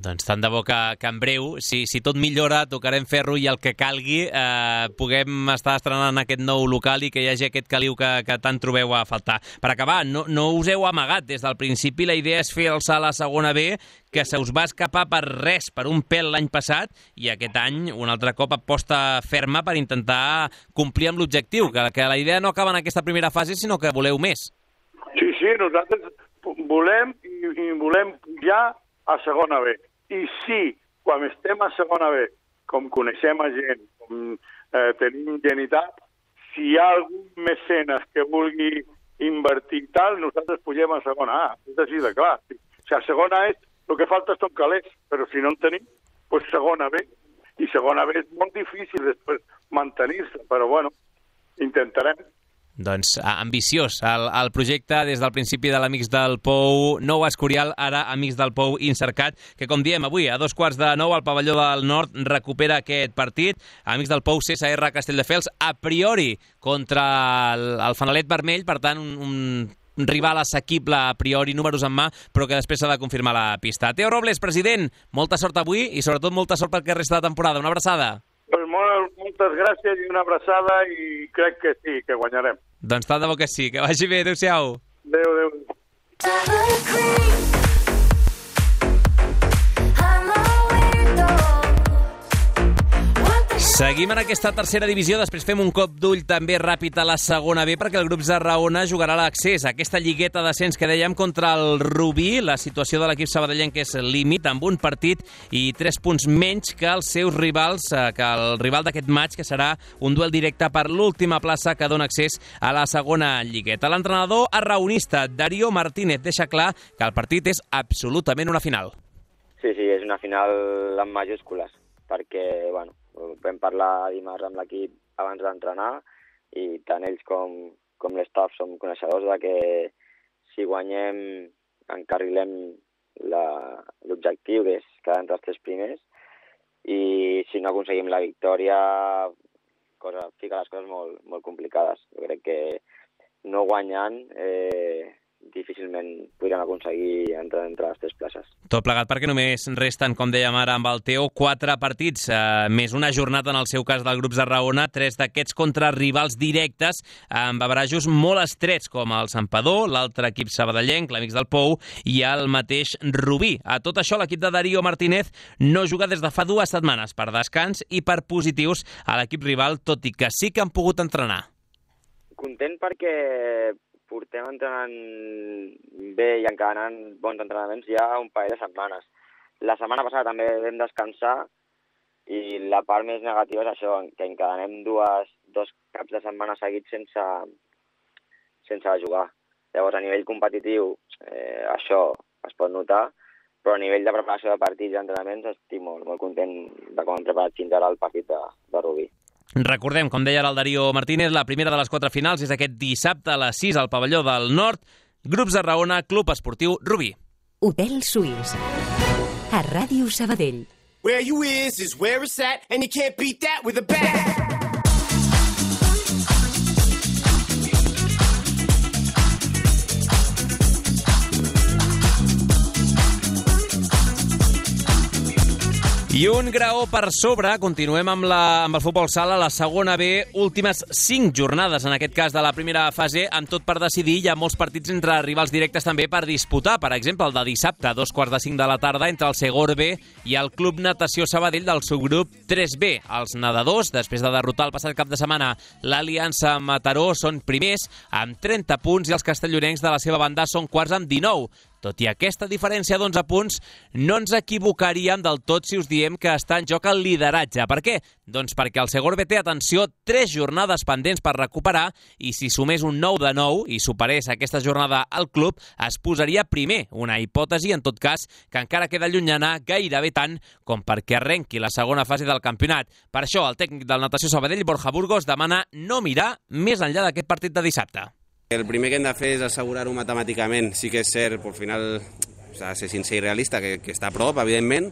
Doncs tant de bo que, que en breu, si, si tot millora, tocarem ferro i el que calgui, eh, puguem estar estrenant aquest nou local i que hi hagi aquest caliu que, que tant trobeu a faltar. Per acabar, no, no us heu amagat. Des del principi la idea és fer el salt a segona B, que se us va escapar per res, per un pèl l'any passat, i aquest any un altre cop aposta ferma per intentar complir amb l'objectiu, que, que la idea no acaba en aquesta primera fase, sinó que voleu més. Sí, sí, nosaltres volem i, i volem pujar a segona B. I sí, quan estem a segona B, com coneixem a gent, com eh, tenim gent i tal, si hi ha algun mecenes que vulgui invertir i tal, nosaltres pugem a segona A. És així de clar. O sigui, a segona és el que falta són calés, però si no en tenim, doncs segona B. I segona B és molt difícil després mantenir-se, però bueno, intentarem. Doncs ambiciós el, el projecte des del principi de l'Amics del Pou Nou Escorial, ara Amics del Pou Incercat, que com diem avui a dos quarts de nou al pavelló del Nord recupera aquest partit. Amics del Pou C S R Castelldefels a priori contra el, el Fanalet Vermell, per tant un, un rival assequible a priori, números en mà, però que després s'ha de confirmar la pista. Teo Robles, president, molta sort avui i sobretot molta sort perquè resta de temporada. Una abraçada. Pues molt, moltes gràcies i una abraçada i crec que sí, que guanyarem. Doncs tant de bo que sí, que vagi bé, adéu-siau. Adéu, adéu. Seguim en aquesta tercera divisió, després fem un cop d'ull també ràpid a la segona B perquè el grup Zarraona jugarà l'accés a aquesta lligueta d'ascens que dèiem contra el Rubí. La situació de l'equip sabadellenc és límit, amb un partit i tres punts menys que els seus rivals, que el rival d'aquest maig, que serà un duel directe per l'última plaça que dona accés a la segona lligueta. L'entrenador arraonista Darío Martínez deixa clar que el partit és absolutament una final. Sí, sí, és una final amb majúscules, perquè, bueno, vam parlar dimarts amb l'equip abans d'entrenar i tant ells com, com l'estaf som coneixedors de que si guanyem encarrilem l'objectiu, que és quedar entre els tres primers, i si no aconseguim la victòria cosa, fica les coses molt, molt complicades. Jo crec que no guanyant eh, difícilment podríem aconseguir entrar entre les tres places. Tot plegat perquè només resten, com dèiem ara amb el Teo, quatre partits, eh, més una jornada en el seu cas del grup Zarraona, tres d'aquests contra rivals directes, amb averajos molt estrets, com el Santpedor, l'altre equip sabadellenc, l'Amics del Pou, i el mateix Rubí. A tot això, l'equip de Darío Martínez no juga des de fa dues setmanes per descans i per positius a l'equip rival, tot i que sí que han pogut entrenar. Content perquè portem entrenant bé i encara anant bons entrenaments ja un parell de setmanes. la setmana passada també vam descansar i la part més negativa és això, que encadenem dues, dos caps de setmana seguits sense, sense jugar. Llavors, a nivell competitiu, eh, això es pot notar, però a nivell de preparació de partits i entrenaments estic molt, molt content de com hem preparat fins ara el partit de, de Rubí. Recordem, com deia el Darío Martínez, la primera de les quatre finals és aquest dissabte a les sis al pavelló del Nord. Grups de Raona, Club Esportiu Rubí. Hotel Suís. A Ràdio Sabadell. Where you is is where it's at, and you can't beat that with a bat. I un graó per sobre, continuem amb, la, amb el futbol sala, la segona B, últimes cinc jornades, en aquest cas de la primera fase, amb tot per decidir. Hi ha molts partits entre rivals directes també per disputar. Per exemple, el de dissabte, a dos quarts de cinc de la tarda, entre el Segor B i el Club Natació Sabadell del subgrup tres B. Els nedadors, després de derrotar el passat cap de setmana l'Aliança Mataró, són primers amb trenta punts i els castellonencs de la seva banda són quarts amb dinou. Tot i aquesta diferència d'onze punts, no ens equivocaríem del tot si us diem que està en joc el lideratge. Per què? Doncs perquè el Segor B té, atenció, tres jornades pendents per recuperar i si sumés un nou de nou i superés aquesta jornada al club, es posaria primer. Una hipòtesi, en tot cas, que encara queda llunyana gairebé tant com perquè arrenqui la segona fase del campionat. Per això, el tècnic del Natació Sabadell, Borja Burgos, demana no mirar més enllà d'aquest partit de dissabte. El primer que hem de fer és assegurar-ho matemàticament. Sí que és cert, al final, s'ha de ser sincer i realista, que, que està a prop, evidentment,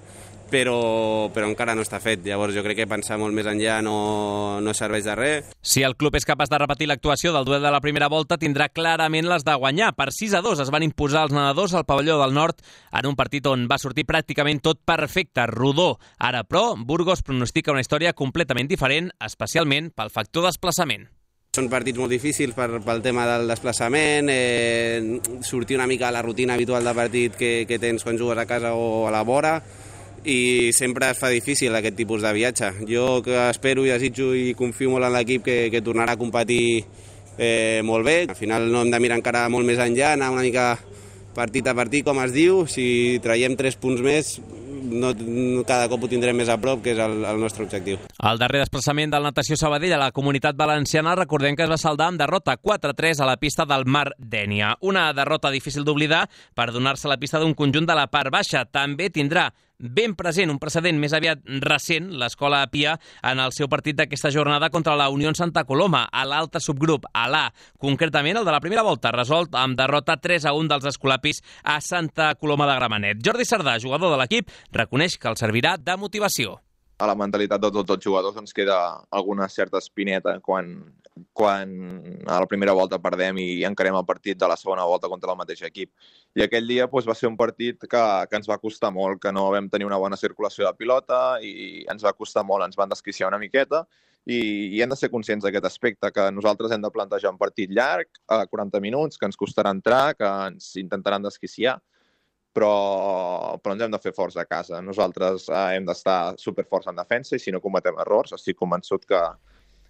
però, però encara no està fet. Llavors jo crec que pensar molt més enllà no, no serveix de res. Si el club és capaç de repetir l'actuació del duel de la primera volta, tindrà clarament les de guanyar. Per sis a dos es van imposar els nedadors al pavelló del Nord en un partit on va sortir pràcticament tot perfecte, rodó. Ara, però, Burgos pronostica una història completament diferent, especialment pel factor desplaçament. Són partits molt difícils per, pel tema del desplaçament, eh, sortir una mica a la rutina habitual de partit que, que tens quan jugues a casa o a la vora, i sempre es fa difícil aquest tipus de viatge. Jo que espero i desitjo i confio molt en l'equip que, que tornarà a competir eh, molt bé. Al final no hem de mirar encara molt més enllà, anar una mica partit a partit, com es diu. Si traiem tres punts més, no, cada cop ho tindrem més a prop, que és el, el nostre objectiu. El darrer desplaçament del Natació Sabadell a la Comunitat Valenciana, recordem que es va saldar amb derrota quatre a tres a la pista del Mar Dénia. Una derrota difícil d'oblidar per donar-se la pista d'un conjunt de la part baixa. També tindrà ben present, un precedent més aviat recent, l'Escola Pia, en el seu partit d'aquesta jornada contra la Unió Santa Coloma, a l'altre subgrup, a l'A. Concretament, el de la primera volta, resolt amb derrota tres a un dels escolapis a Santa Coloma de Gramenet. Jordi Sardà, jugador de l'equip, reconeix que el servirà de motivació. A la mentalitat de tots els jugadors ens queda alguna certa espineta quan, quan a la primera volta perdem i encarem el partit de la segona volta contra el mateix equip. I aquell dia doncs, va ser un partit que, que ens va costar molt, que no vam tenir una bona circulació de pilota i ens va costar molt, ens van desquiciar una miqueta i, i hem de ser conscients d'aquest aspecte, que nosaltres hem de plantejar un partit llarg, a quaranta minuts, que ens costarà entrar, que ens intentaran desquiciar, però, però ens hem de fer forts a casa. Nosaltres eh, hem d'estar superforts en defensa i si no cometem errors, estic convençut que,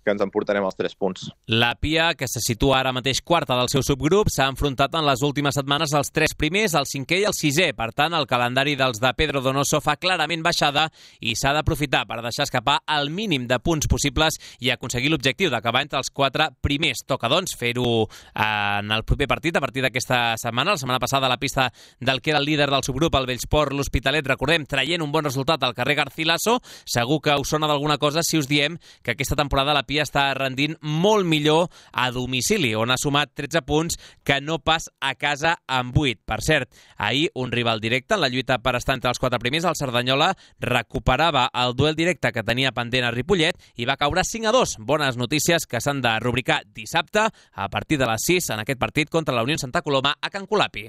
que ens emportarem els tres punts. La Pia, que se situa ara mateix quarta del seu subgrup, s'ha enfrontat en les últimes setmanes als tres primers, el cinquè i el sisè. Per tant, el calendari dels de Pedro Donoso fa clarament baixada i s'ha d'aprofitar per deixar escapar el mínim de punts possibles i aconseguir l'objectiu d'acabar entre els quatre primers. Toca, doncs, fer-ho en el proper partit, a partir d'aquesta setmana. La setmana passada, a la pista del que era el líder del subgrup, el Bellsport, l'Hospitalet, recordem, traient un bon resultat al carrer Garcilaso. Segur que us sona d'alguna cosa si us diem que aquesta temporada la Pia està rendint molt millor a domicili, on ha sumat tretze punts que no pas a casa amb vuit. Per cert, ahir un rival directe en la lluita per estar entre els quatre primers, el Cerdanyola, recuperava el duel directe que tenia pendent a Ripollet i va caure cinc a dos. Bones notícies que s'han de rubricar dissabte a partir de les sis en aquest partit contra la Unió Santa Coloma a Can Colapi.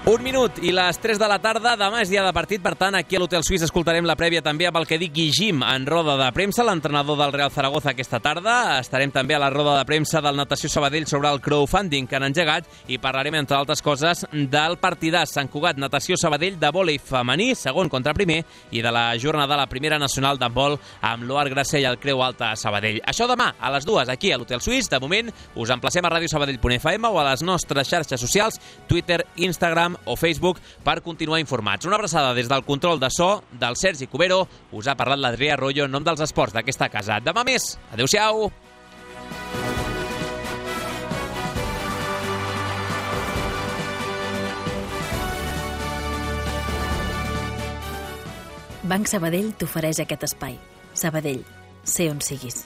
Un minut i les tres de la tarda. Demà és dia de partit, per tant, aquí a l'Hotel Suís escoltarem la prèvia també amb el que digui Jim en roda de premsa, l'entrenador del Real Zaragoza aquesta tarda. Estarem també a la roda de premsa del Natació Sabadell sobre el crowdfunding que han engegat i parlarem, entre altres coses, del partidàs Sant Cugat Natació Sabadell de vòlei femení, segon contra primer, i de la jornada de la primera nacional d'handbol amb l'Oar Gracell al Creu Alta a Sabadell. Això demà a les dues aquí a l'Hotel Suís. De moment, us emplacem a ràdio sabadell punt f m o a les nostres xarxes socials, Twitter, Instagram o Facebook, per continuar informats. Una abraçada des del control de so del Sergi Cubero. Us ha parlat l'Adrià Arroyo en nom dels esports d'aquesta casa. Demà més. Adéu-siau. Banc Sabadell t'ofereix aquest espai. Sabadell, sé on siguis.